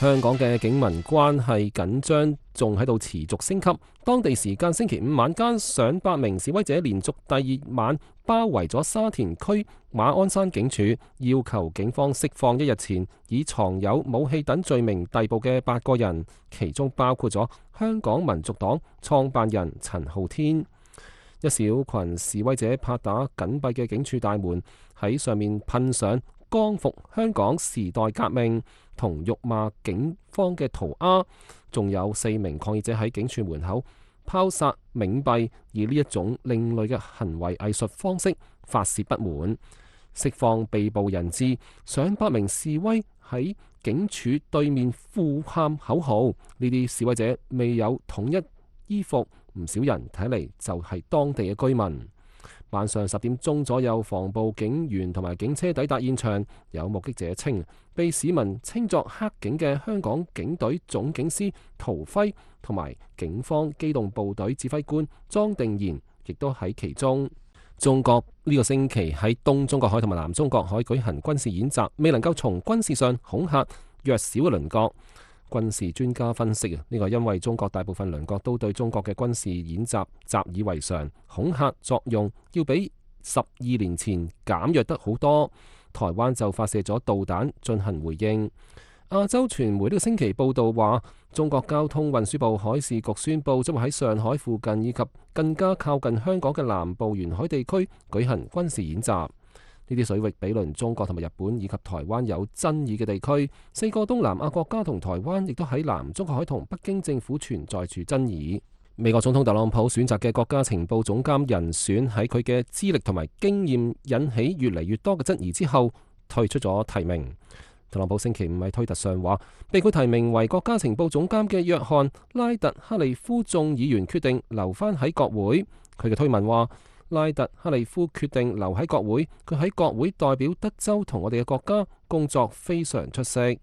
香港嘅警民關係緊張仲喺度持續升級。當地時間星期五晚間，上百名示威者連續第二晚包圍咗沙田區馬鞍山警署，要求警方釋放一日前以藏有武器等罪名逮捕嘅八個人，其中包括咗香港民族黨創辦人陳浩天。一小群示威者拍打緊閉嘅警署大門，喺上面噴上光復香港時代革命同辱罵警方嘅塗鴉，仲有四名抗議者喺警署門口拋灑冥幣，以呢一種另類嘅行為藝術方式發洩不滿，釋放被捕人質。上百名示威喺警署對面呼喊口號，呢啲示威者未有統一衣服，唔少人睇嚟就係當地嘅居民。晚上十點鐘左右，防暴警員同埋警車抵達現場。有目擊者稱，被市民稱作黑警嘅香港警隊總警司陶輝同埋警方機動部隊指揮官莊定賢亦都喺其中。中國呢個星期喺東中國海同埋南中國海舉行軍事演習，未能夠從軍事上恐嚇弱小嘅鄰國。軍事專家分析啊，呢個因為中國大部分鄰國都對中國嘅軍事演習習以為常，恐嚇作用要比十二年前減弱得好多。台灣就發射咗導彈進行回應。亞洲傳媒呢個星期報道話，中國交通運輸部海事局宣布將會喺上海附近以及更加靠近香港嘅南部沿海地區舉行軍事演習。呢啲水域比鄰中國同埋日本以及台灣有爭議嘅地區，四個東南亞國家同台灣亦都喺南中國海同北京政府存在住爭議。美國總統特朗普選擇嘅國家情報總監人選喺佢嘅資歷同埋經驗引起越嚟越多嘅質疑之後，退出咗提名。特朗普星期五喺推特上話，被佢提名為國家情報總監嘅約翰拉特克利夫眾議員決定留返喺國會。佢嘅推文話，拉特克利夫決定留喺國會，佢喺國會代表德州同我哋嘅國家工作非常出色。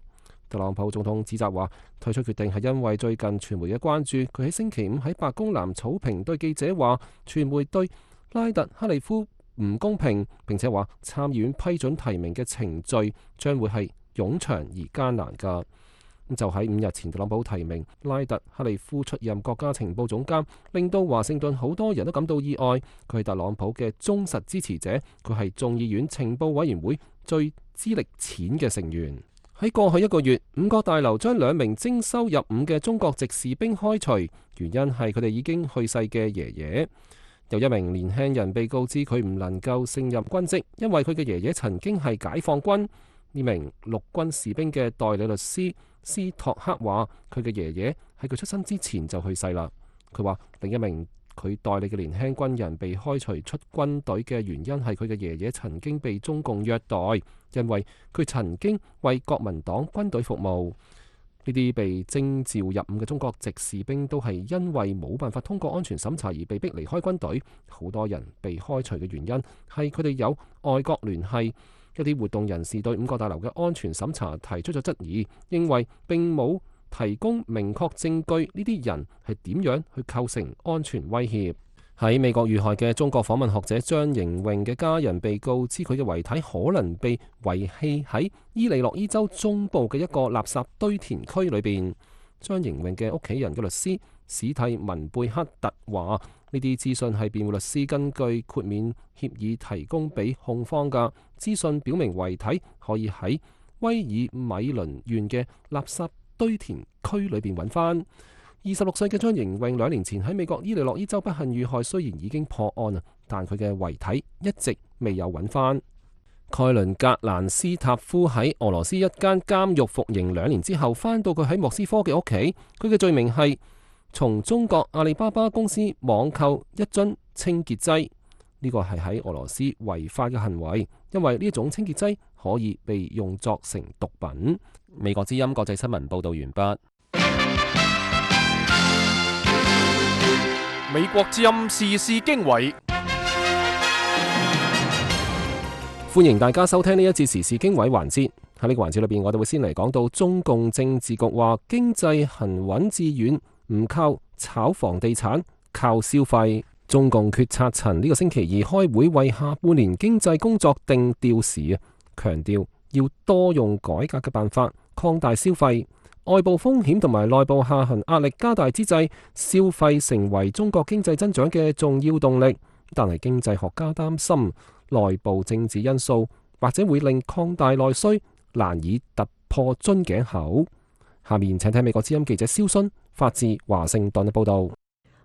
特朗普總統指責話，退出決定係因為最近傳媒嘅關注。佢喺星期五喺白宮南草坪對記者話，傳媒對拉特克利夫唔公平，並且話參議院批准提名嘅程序將會係冗長而艱難㗎。就喺五日前，特朗普提名拉特克利夫出任國家情報總監，令到華盛頓好多人都感到意外。佢係特朗普嘅忠實支持者，佢係眾議院情報委員會最資歷淺嘅成員。喺過去一個月，五角大樓將兩名徵收入伍嘅中國籍士兵開除，原因係佢哋已經去世嘅爺爺。有一名年輕人被告知佢唔能夠勝任軍職，因為佢嘅爺爺曾經係解放軍。呢名陸軍士兵嘅代理律師斯托克話，佢嘅爺爺喺佢出生之前就去世啦。佢話另一名佢代理嘅年輕軍人被開除出軍隊嘅原因係佢嘅爺爺曾經被中共虐待，因為佢曾經為國民黨軍隊服務。呢啲被徵召入伍嘅中國籍士兵都係因為冇辦法通過安全審查而被逼離開軍隊。好多人被開除嘅原因係佢哋有外國聯繫。一啲活動人士對五角大樓嘅安全審查提出咗質疑，認為並冇提供明確證據，呢啲人係點樣去構成安全威脅。喺美國遇害嘅中國訪問學者張瑩穎嘅家人被告知佢嘅遺體可能被遺棄喺伊利諾伊州中部嘅一個垃圾堆填區裏邊。張瑩穎嘅屋企人嘅律師史蒂文貝克特話，呢啲資訊係辯護律師根據豁免協議提供俾控方㗎。資訊表明遺體可以喺威爾米倫縣嘅垃圾堆填區裏邊揾翻。二十六歲嘅張盈穎兩年前喺美國伊利諾伊州不幸遇害，雖然已經破案啊，但佢嘅遺體一直未有揾翻。蓋倫格蘭斯塔夫喺俄羅斯一間監獄服刑兩年之後，翻到佢喺莫斯科嘅屋企，佢嘅罪名係從中國阿里巴巴公司網購一樽清潔劑，呢個係喺俄羅斯違法嘅行為，因為呢一種清潔劑可以被用作成毒品。美國之音國際新聞報道完畢。美國之音時事經緯，歡迎大家收聽呢一節時事經緯環節。喺呢個環節裏邊，我哋會先嚟講到中共政治局話經濟行穩致遠，唔靠炒房地產，靠消費。中共決策層呢個星期二開會為下半年經濟工作定調時啊，強調要多用改革嘅辦法擴大消費。外部風險同埋內部下行壓力加大之際，消費成為中國經濟增長嘅重要動力。但係經濟學家擔心內部政治因素或者會令擴大內需難以突破樽頸口。下面請睇美國之音記者蕭순發自華盛頓嘅報道。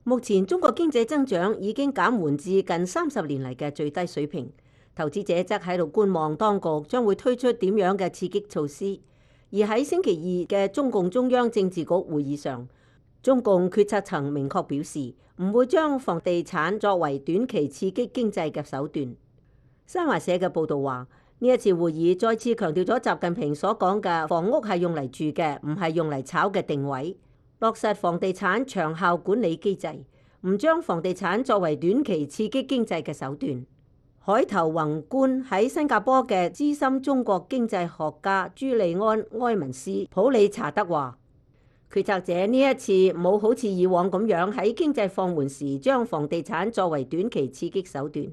目前中國經濟增長已經減緩至近三十年嚟嘅最低水平，投資者則喺度觀望當局將會推出點樣嘅刺激措施。而喺星期二嘅中共中央政治局會議上，中共決策層明確表示唔會將房地產作為短期刺激經濟嘅手段。新華社嘅報導話，呢一次會議再次強調咗習近平所講嘅房屋係用嚟住嘅，唔係用嚟炒嘅定位，落實房地產長效管理機制，唔將房地產作為短期刺激經濟嘅手段。海頭宏觀喺新加坡嘅資深中國經濟學家朱利安埃文斯普里查德話，決策者呢一次冇好似以往咁樣喺經濟放緩時將房地產作為短期刺激手段。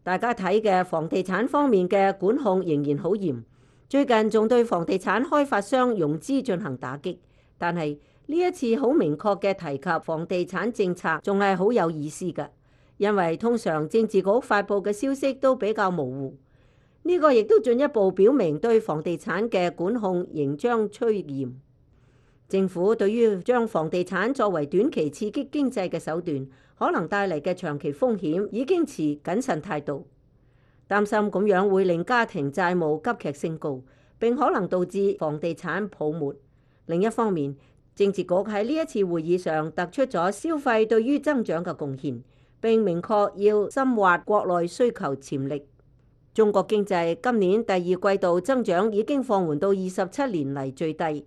大家睇嘅房地產方面嘅管控仍然好嚴，最近仲對房地產開發商融資進行打擊，但係呢一次好明確嘅提及房地產政策仲係好有意思嘅。因為通常政治局發佈嘅消息都比較模糊，呢個亦都進一步表明對房地產嘅管控仍將趨嚴。政府對於將房地產作為短期刺激經濟嘅手段，可能帶嚟嘅長期風險已經持謹慎態度，擔心咁樣會令家庭債務急劇升高，並可能導致房地產泡沫。另一方面，政治局喺呢一次會議上突出咗消費對於增長嘅貢獻，並明確要深挖國內需求潛力。中國經濟今年第二季度增長已經放緩到二十七年嚟最低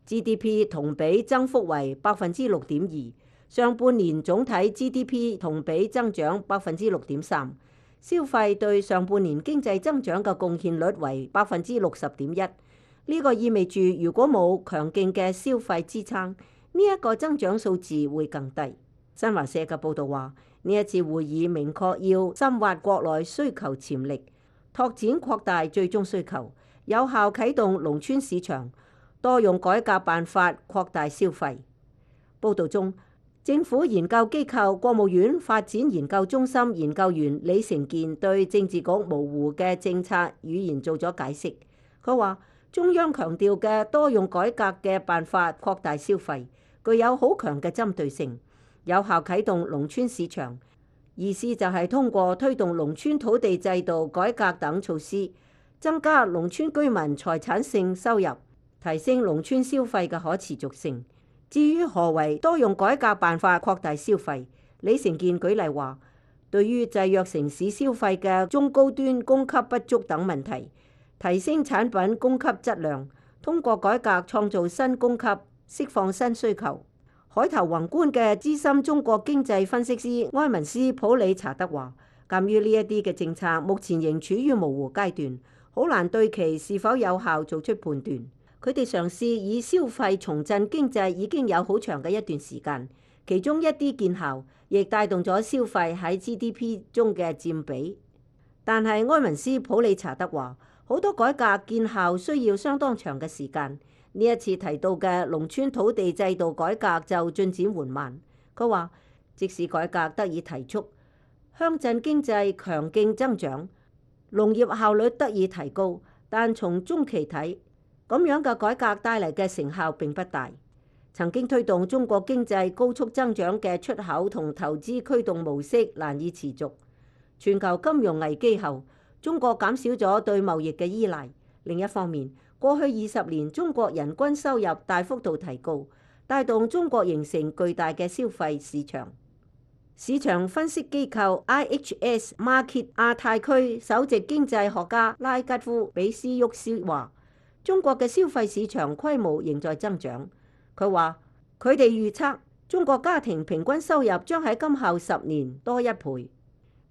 ，G D P 同比增幅為百分之六點二，上半年總體 G D P 同比增長百分之六點三，消費對上半年經濟增長嘅貢獻率為百分之六十點一。呢個意味住如果冇強勁嘅消費支撐，呢一個增長數字會更低。新華社嘅報導話，呢一次會議明確要深挖國內需求潛力，拓展擴大最終需求，有效啟動農村市場，多用改革辦法擴大消費。報導中，政府研究機構國務院發展研究中心研究員李成健對政治局模糊嘅政策語言做咗解釋。佢話：中央強調嘅多用改革嘅辦法擴大消費，具有好強嘅針對性。有效啟動農村市場，意思就係通過推動農村土地制度改革等措施，增加農村居民財產性收入，提升農村消費嘅可持續性。至於何為多用改革辦法擴大消費，李成健舉例話，對於制約城市消費嘅中高端供給不足等問題，提升產品供給質量，通過改革創造新供給，釋放新需求。海頭宏觀嘅資深中國經濟分析師埃文斯普里查德話，鑑於呢一啲嘅政策目前仍處於模糊階段，好難對其是否有效做出判斷。佢哋嘗試以消費重振經濟已經有好長嘅一段時間，其中一啲見效，亦帶動咗消費喺 G D P 中嘅佔比。但係埃文斯普里查德話，好多改革見效需要相當長嘅時間。呢一次提到嘅農村土地制度改革就進展緩慢。佢話，即使改革得以提速，鄉鎮經濟強勁增長，農業效率得以提高，但從中期睇，咁樣嘅改革帶嚟嘅成效並不大。曾經推動中國經濟高速增長嘅出口同投資驅動模式難以持續。全球金融危機後，中國減少咗對貿易嘅依賴。另一方面，過去二十年中國人均收入大幅度提高，帶動中國形成巨大嘅消費市場。市場分析機構 I H S Markit 亞太區首席經濟學家拉吉夫比斯沃斯話：中國嘅消費市場規模仍在增長。佢話：佢哋預測中國家庭平均收入將喺今後十年多一倍。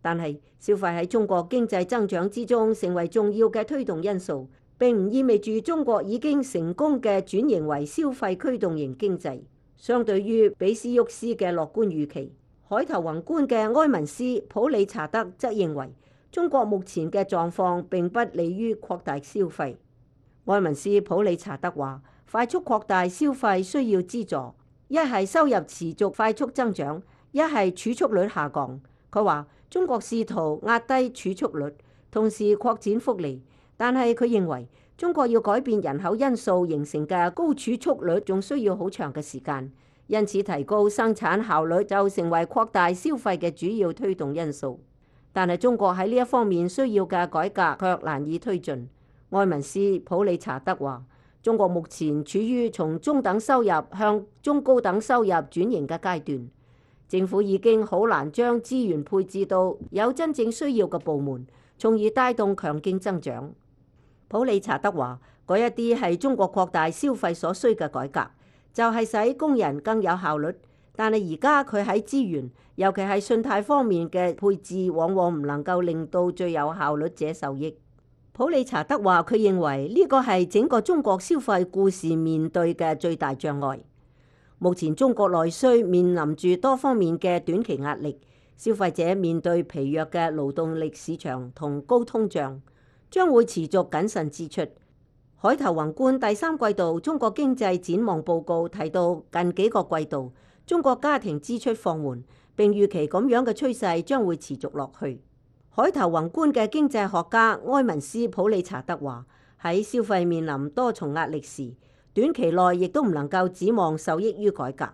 但係消費喺中國經濟增長之中成為重要嘅推動因素，並唔意味住中國已經成功嘅轉型為消費驅動型經濟。相對於比斯沃斯嘅樂觀預期，海投宏觀嘅埃文斯普理查德則認為中國目前嘅狀況並不利於擴大消費。埃文斯普理查德話：快速擴大消費需要資助，一係收入持續快速增長，一係儲蓄率下降。佢話中國試圖壓低儲蓄率，同時擴展福利，但係佢認為中國要改變人口因素形成嘅高儲蓄率仲需要好長嘅時間，因此提高生產效率就成為擴大消費嘅主要推動因素。但係中國喺呢一方面需要嘅改革卻難以推進。埃文斯普理查德話：中國目前處於從中等收入向中高等收入轉型嘅階段，政府已經好難將資源配置到有真正需要嘅部門，從而帶動強勁增長。普理查德話：嗰一啲係中國擴大消費所需嘅改革，就係使工人更有效率。但係而家佢喺資源，尤其係信貸方面嘅配置，往往唔能夠令到最有效率者受益。普理查德話：佢認為呢個係整個中國消費故事面對嘅最大障礙。目前中國內需面臨住多方面嘅短期壓力，消費者面對疲弱嘅勞動力市場同高通脹，將會持續謹慎支出。海投宏觀第三季度中國經濟展望報告提到，近幾個季度中國家庭支出放緩，並預期咁樣嘅趨勢將會持續落去。海投宏觀嘅經濟學家埃文斯普理查德話：喺消費面臨多重壓力時，短期內亦都唔能夠指望受益於改革。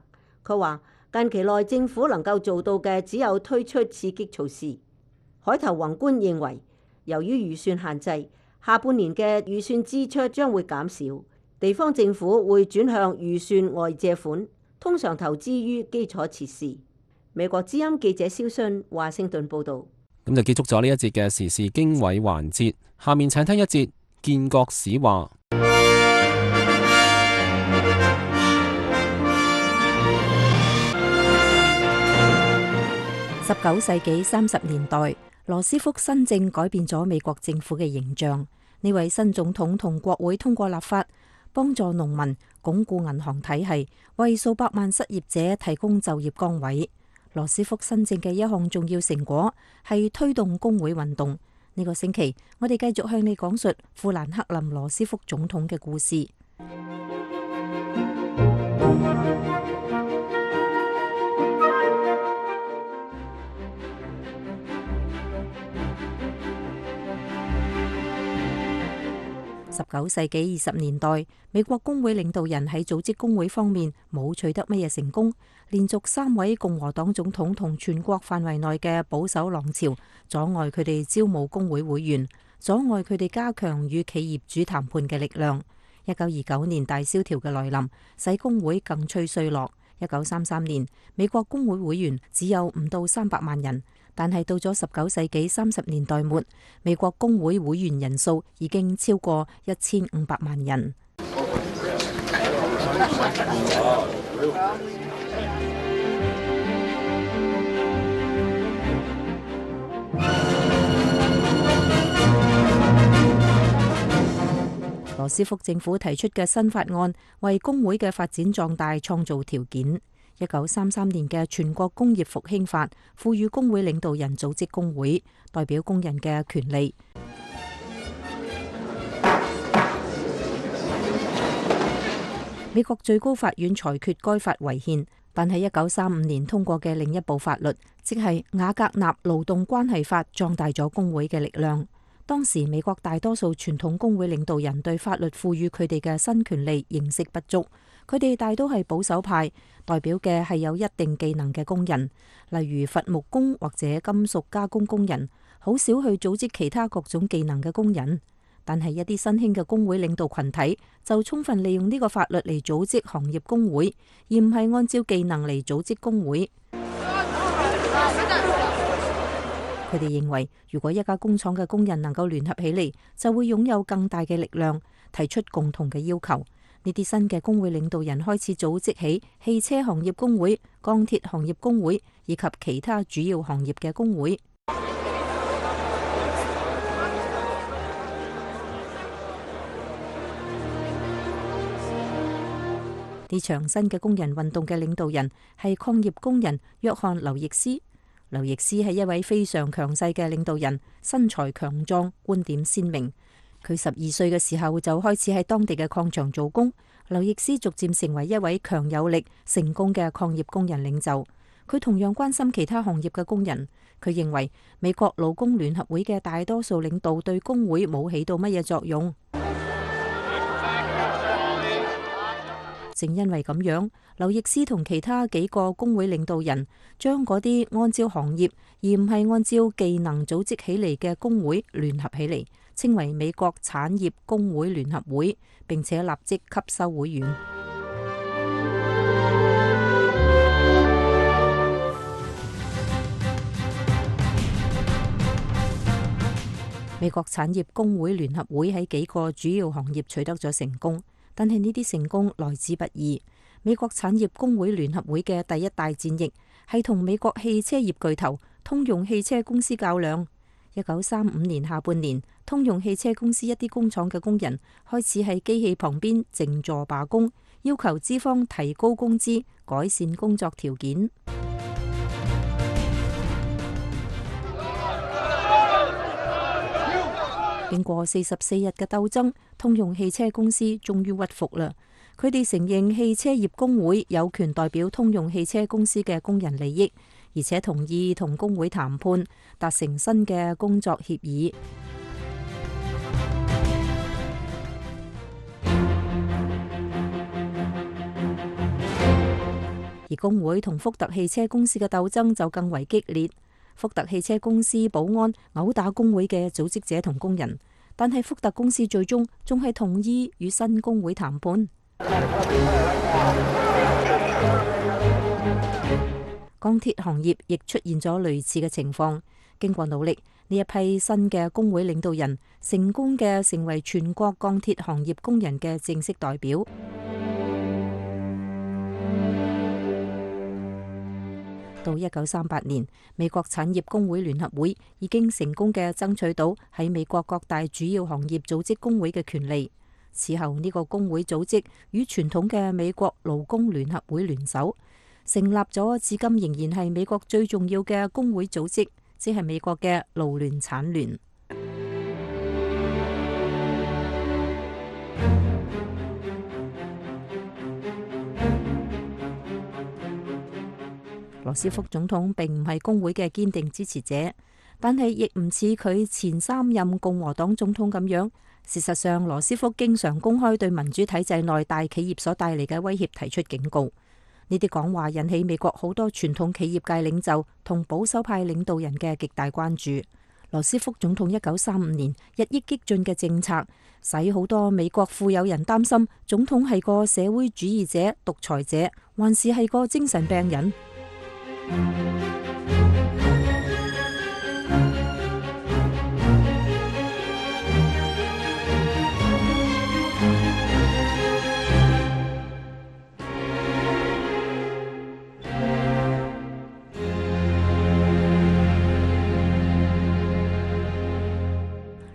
佢話近期內政府能夠做到嘅只有推出刺激措施。海投宏觀認為，由於預算限制，下半年嘅預算支出將會減少，地方政府會轉向預算外借款，通常投資於基礎設施。美國之音記者蕭信華盛頓報導。咁就結束咗呢一節嘅時事經緯環節，下面請聽一節建國史話。十九世紀三十年代，羅斯福新政改變咗美國政府嘅形象。呢位新總統同國會通過立法，幫助農民，鞏固銀行體系，為數百萬失業者提供就業崗位。羅斯福新政嘅一項重要成果係推動工會運動。呢個星期，我哋繼續向你講述富蘭克林羅斯福總統嘅故事。十九世紀二十年代，美國工會領導人喺組織工會方面冇取得乜嘢成功，連續三位共和黨總統同全國範圍內嘅保守浪潮，阻礙佢哋招募工會會員，阻礙佢哋加強與企業主談判嘅力量。一九二九年大蕭條嘅來臨，使工會更趨衰落。一九三三年，美國工會會員只有唔到三百萬人。但係到咗十九世紀三十年代末，美國工會會員人數已經超過一千五百萬人。羅斯福政府提出嘅新法案，為工會嘅發展壯大創造條件。一九三三年嘅全國工業復興法賦予工會領導人組織工會，代表工人嘅權利。美國最高法院裁決該法違憲，但係一九三五年通過嘅另一部法律，即係瓦格納勞動關係法，壯大咗工會嘅力量。當時美國大多數傳統工會領導人對法律賦予佢哋嘅新權利認識不足，佢哋大都係保守派，代表嘅係有一定技能嘅工人，例如伐木工或者金屬加工工人，好少去組織其他各種技能嘅工人。但係一啲新興嘅工會領導群體就充分利用呢個法律嚟組織行業工會，而唔係按照技能嚟組織工會。佢哋認為，如果一家工廠嘅工人能夠聯合起嚟，就會擁有更大嘅力量，提出共同嘅要求。呢啲新嘅工會領導人開始組織起汽車行業工會、鋼鐵行業工會以及其他主要行業嘅工會。呢場新嘅工人運動嘅領導人係礦業工人約翰劉易斯。劉易斯係一位非常強勢嘅領導人，身材強壯，觀點鮮明。佢十二歲嘅時候就開始喺當地嘅礦場做工。劉易斯逐漸成為一位強有力、成功嘅礦業工人領袖。佢同樣關心其他行業嘅工人。佢認為美國勞工聯合會嘅大多數領導對工會冇起到乜嘢作用。正因為咁樣，劉易斯同其他幾個工會領導人將嗰啲按照行業而唔係按照技能組織起嚟嘅工會聯合起嚟，稱為美國產業工會聯合會，並且立即吸收會員。美國產業工會聯合會喺幾個主要行業取得咗成功。但係呢啲成功來之不易。美國產業工會聯合會嘅第一大戰役係同美國汽車業巨頭通用汽車公司較量。一九三五年下半年，通用汽車公司一啲工廠嘅工人開始喺機器旁邊靜坐罷工，要求資方提高工資、改善工作條件。經過四十四日嘅鬥爭，通用汽車公司終於屈服啦。佢哋承認汽車業工會有權代表通用汽車公司嘅工人利益，而且同意同工會談判，達成新嘅工作協議。而工會同福特汽車公司嘅鬥爭就更為激烈。福特汽車公司保安毆打工會嘅組織者同工人，但係福特公司最終仲係同意與新工會談判。鋼鐵行業亦出現咗類似嘅情況。經過努力，呢一批新嘅工會領導人成功嘅成為全國鋼鐵行業工人嘅正式代表。到一九三八年，美國產業工會聯合會已經成功嘅爭取到喺美國各大主要行業組織工會嘅權利。此後呢個工會組織與傳統嘅美國勞工聯合會聯手，成立咗至今仍然係美國最重要嘅工會組織，即係美國嘅勞聯產聯。羅斯福總統並唔係工會嘅堅定支持者，但係亦唔似佢前三任共和黨總統咁樣。事實上，羅斯福經常公開對民主體制內大企業所帶嚟嘅威脅提出警告。呢啲講話引起美國好多傳統企業界領袖同保守派領導人嘅極大關注。羅斯福總統一九三五年日益激進嘅政策，使好多美國富有人擔心總統係個社會主義者、獨裁者，還是係個精神病人。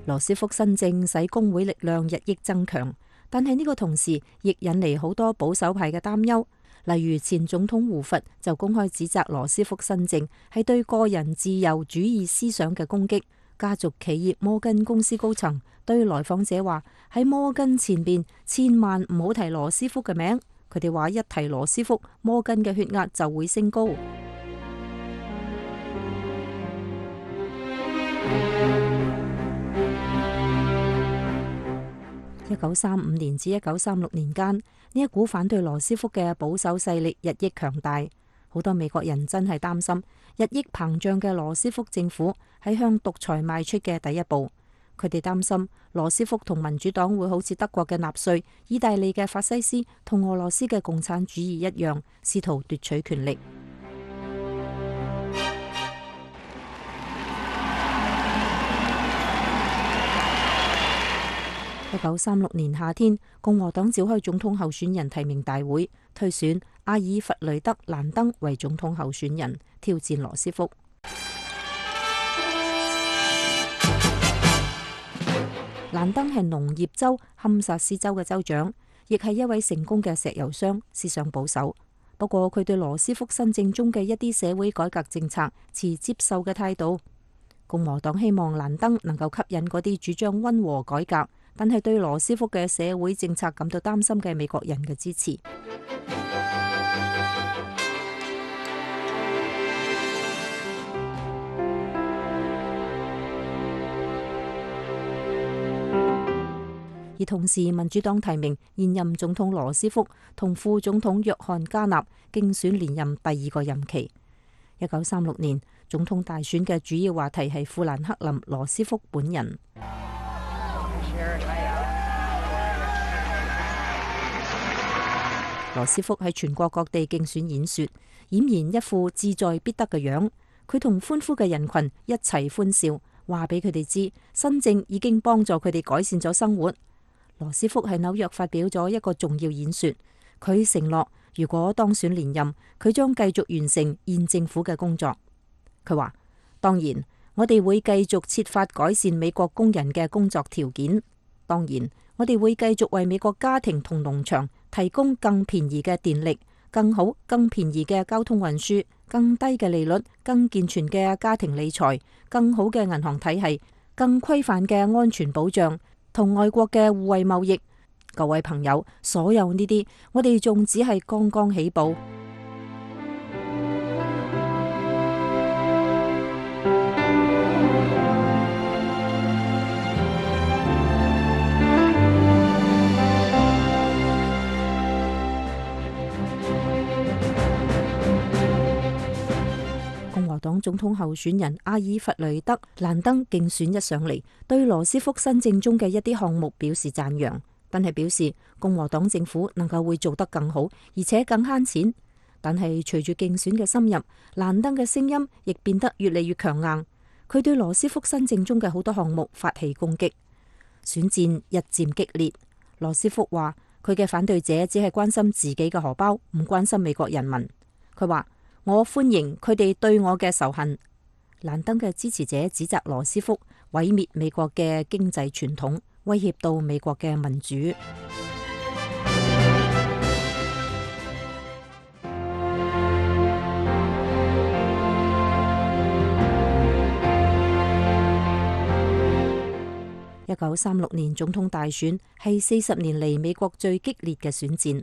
羅斯福新政使工會力量日益增強，但係呢個同時亦引嚟好多保守派嘅擔憂。例如前總統胡佛就公開指責羅斯福新政係對個人自由主義思想嘅攻擊。家族企業摩根公司高層對來訪者話：喺摩根前邊千萬唔好提羅斯福嘅名。佢哋話一提羅斯福，摩根嘅血壓就會升高。一九三五年至一九三六年間，呢一股反對羅斯福嘅保守勢力日益強大，好多美國人真係擔心日益膨脹嘅羅斯福政府係向獨裁邁出嘅第一步。佢哋擔心羅斯福同民主黨會好似德國嘅納粹、意大利嘅法西斯同俄羅斯嘅共產主義一樣，試圖奪取權力。一九三六年夏天，共和黨召開總統候選人提名大會，推選阿爾弗雷德·蘭登為總統候選人，挑戰羅斯福。蘭登係農業州堪薩斯州嘅州長，亦係一位成功嘅石油商，思想保守。不過佢對羅斯福新政中嘅一啲社會改革政策持接受嘅態度。共和黨希望蘭登能夠吸引嗰啲主張溫和改革，但係對羅斯福嘅社會政策感到擔心嘅美國人嘅支持。而同時，民主黨提名現任總統羅斯福同副總統約翰加納競選連任第二個任期。一九三六年總統大選嘅主要話題係富蘭克林羅斯福本人。羅斯福喺全國各地競選演說，儼然一副志在必得嘅樣。佢同歡呼嘅人群一齊歡笑，話俾佢哋知新政已經幫助佢哋改善咗生活。羅斯福喺紐約發表咗一個重要演說，佢承諾如果當選連任，佢將繼續完成現政府嘅工作。佢話：當然，我哋會繼續設法改善美國工人嘅工作條件。當然，我哋會繼續為美國家庭同農場提供更便宜嘅電力、更好、更便宜嘅交通運輸、更低嘅利率、更健全嘅家庭理財、更好嘅銀行體系、更規範嘅安全保障同外國嘅互惠貿易。各位朋友，所有呢啲，我哋仲只係剛剛起步。共和黨總統候選人阿爾弗雷德·蘭登競選一上嚟，對羅斯福新政中嘅一啲項目表示讚揚，但係表示共和黨政府能夠會做得更好，而且更慳錢。但係隨住競選嘅深入，蘭登嘅聲音亦變得越嚟越強硬。佢對羅斯福新政中嘅好多項目發起攻擊，選戰日漸激烈。羅斯福話佢嘅反對者只係關心自己嘅荷包，唔關心美國人民。佢話：我歡迎佢哋對我嘅仇恨。蘭登嘅支持者指責羅斯福毀滅美國嘅經濟傳統，威脅到美國嘅民主。一九三六年總統大選係四十年嚟美國最激烈嘅選戰，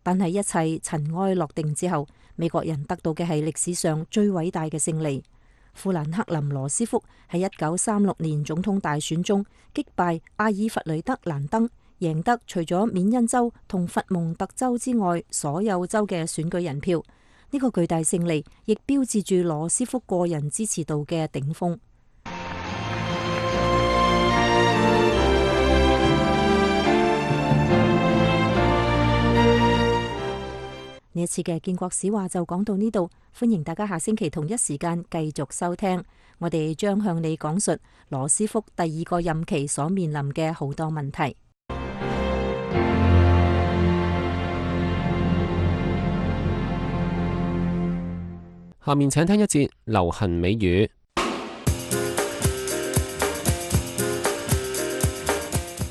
但係一切塵埃落定之後，美國人得到嘅係歷史上最偉大嘅勝利。富蘭克林羅斯福喺一九三六年總統大選中擊敗阿爾弗雷德蘭登，贏得除咗緬因州同佛蒙特州之外所有州嘅選舉人票。呢個巨大勝利亦標誌住羅斯福個人支持度嘅頂峰。呢一次嘅建國史話就講到呢度，歡迎大家下星期同一時間繼續收聽。我哋將向你講述羅斯福第二個任期所面臨嘅好多問題。下面請聽一節流行美語。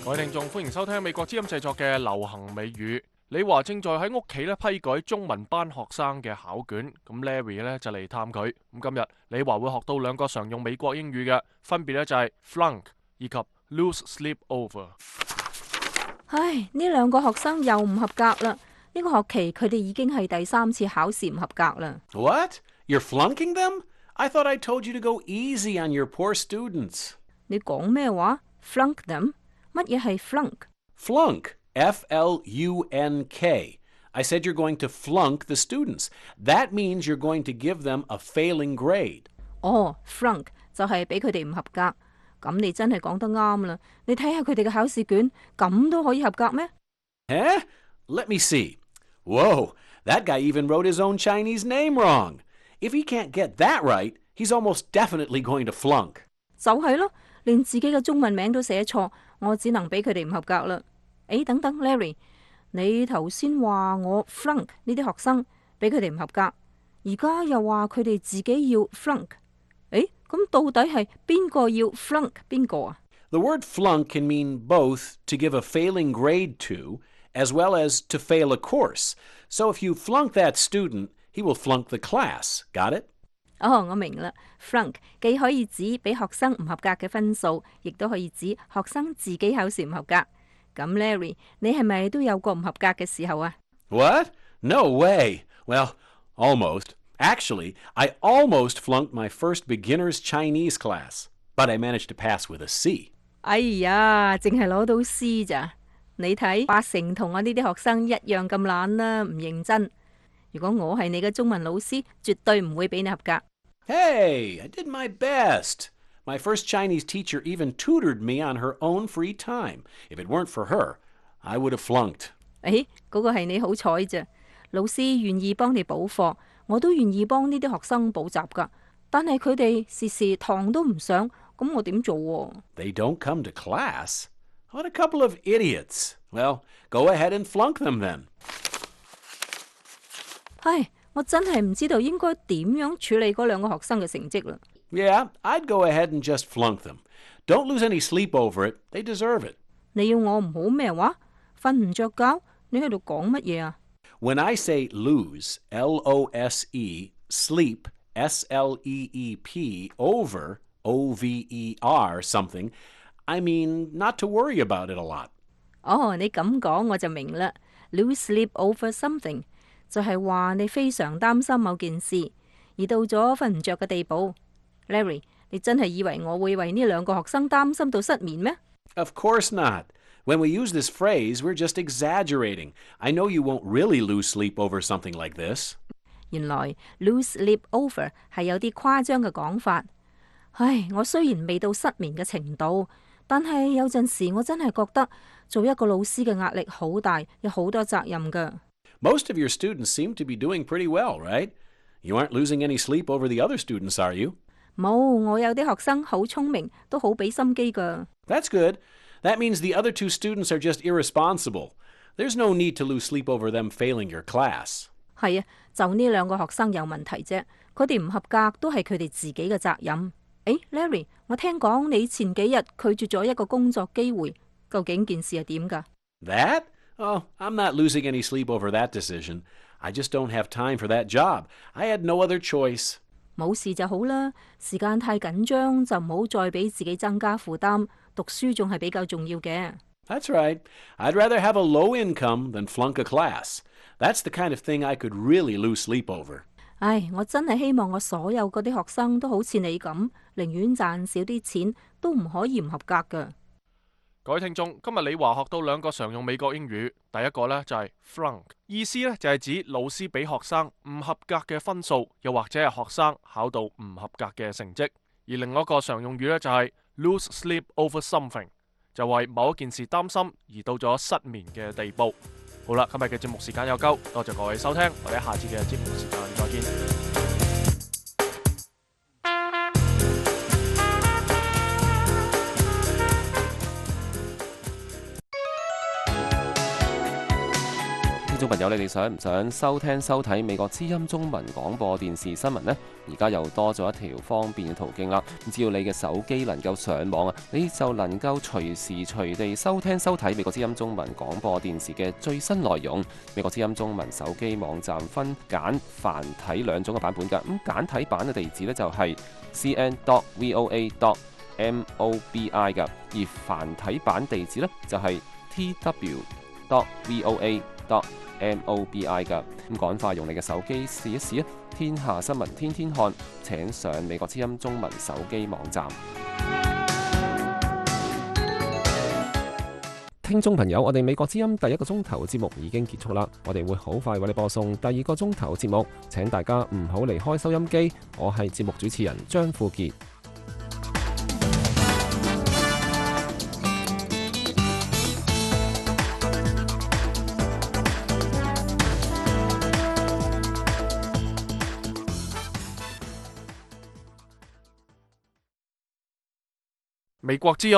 各位聽眾，歡迎收聽美國之音製作嘅流行美語。李華正在喺屋企咧批改中文班學生嘅考卷，咁 Larry 咧就嚟探佢。咁今日李華會學到兩個常用美國英語嘅，分別咧就係 flunk 以及 lose sleep over。唉，呢兩個學生又唔合格啦！呢個學期佢哋已經係第三次考試唔合格啦。What? You're flunking them? I thought I told you to go easy on your poor students. 你講咩話？Flunk them？乜嘢係 flunk？ Flunk, F L U N K. I said you're going to flunk the students. That means you're going to give them a failing grade. 哦 ，flunk 就係俾佢哋唔合格。咁你真係講得啱啦。你睇下佢哋嘅考試卷，咁都可以合格咩？ Eh? Let me see. Whoa, that guy even wrote his own Chinese name wrong. If he can't get that right, he's almost definitely going to flunk. 就係咯，連自己嘅中文名都寫錯，我只能俾佢哋唔合格啦。誒，等等 ，Larry， 你頭先話我 flunk 呢啲學生，俾佢哋唔合格，而家又話佢哋自己要 flunk。誒，咁到底係邊個要 flunk 邊個啊？ The word flunk can mean both to give a failing grade to, as well as to fail a course. So if you flunk that student, he will flunk the class. Got it? 哦，我明啦。flunk 既可以指俾學生唔合格嘅分數，亦都可以指學生自己考試唔合格。咁 Larry， 你係咪都有過唔合格嘅時候啊？ What? No way. Well, almost. Actually, I almost flunked my first beginner's Chinese class, but I managed to pass with a C. 哎呀，淨係攞到 C 咋？你睇八成同我呢啲學生一樣咁懶啦，唔認真。如果我係你嘅中文老師，絕對唔會俾你合格。Hey, I did my best. My first Chinese teacher even tutored me on her own free time. If it weren't for her, I would have flunked. 誒，嗰個係你好彩咋。老師願意幫你補課，我都願意幫呢啲學生補習㗎。但係佢哋時時堂都唔上，咁我點做喎？ They don't come to class? What a couple of idiots. Well, go ahead and flunk them then. 唉，我真係唔知道應該點樣處理嗰兩個學生嘅成績啦。Yeah, I'd go ahead and just flunk them. Don't lose any sleep over it. They deserve it. 你要我唔好咩話？瞓唔着覺？你喺度講乜嘢啊？ When I say lose, L O S E, sleep, S L E E P, over, O V E R, something, I mean not to worry about it a lot. 哦，你咁講我就明啦。Lose sleep over something 就係話你非常擔心某件事，而到咗瞓唔着嘅地步。Larry， 你真係以為我會為呢兩個學生擔心到失眠咩？ Of course not. When we use this phrase, we're just exaggerating. I know you won't really lose sleep over something like this. 原來 lose sleep over 係有啲誇張嘅講法。唉，我雖然未到失眠嘅程度，但係有陣時我真係覺得做一個老師嘅壓力好大，有好多責任㗎。Most of your students seem to be doing pretty well, right? You aren't losing any sleep over the other students, are you? 冇，我有啲學生好聰明，都好俾心機㗎。 That's good. That means the other two students are just irresponsible. There's no need to lose sleep over them failing your class. 係啊，就呢兩個學生有問題啫，佢哋唔合格都係佢哋自己嘅責任。誒 ，Larry， 我聽講你前幾日拒絕咗一個工作機會，究竟件事係點㗎？ That? Oh, I'm not losing any sleep over that decision. I just don't have time for that job. I had no other choice. 冇事就好啦，時間太緊張就唔好再俾自己增加負擔，讀書仲係比較重要嘅。 That's right. I'd rather have a low income than flunk a class. That's the kind of thing I could really lose sleep over. 唉，我真係希望我所有嗰啲學生都好似你咁，寧願賺少啲錢，都唔可以唔合格㗎。各位聽眾，今日李華學到兩個常用美國英語，第一個呢就係 flunk， 意思呢就係指老師俾學生唔合格嘅分數，又或者係學生考到唔合格嘅成績。而另外一個常用語呢就係 lose sleep over something， 就為某一件事擔心而到咗失眠嘅地步。好啦，今日嘅節目時間有夠，多謝各位收聽，我哋下次嘅節目時間再見。聽眾朋友，你哋想唔想收聽收睇美國之音中文廣播電視新聞呢？而家又多咗一條方便嘅途徑啦！只要你嘅手機能夠上網啊，你就能夠隨時隨地收聽收睇美國之音中文廣播電視嘅最新內容。美國之音中文手機網站分簡繁體兩種嘅版本㗎。咁簡體版嘅地址呢，就係 c n dot v o a dot m o b i 㗎，而繁體版地址呢，就係 t w dot v o a dot m o b i 㗎。咁趕快用你嘅手機試一試啊！天下新聞天天看，請上美國之音中文手機網站。聽眾朋友，我哋美國之音第一個鐘頭節目已經結束啦，我哋會好快為你播送第二個鐘頭節目，請大家唔好離開收音機。我係節目主持人張富傑。美國之音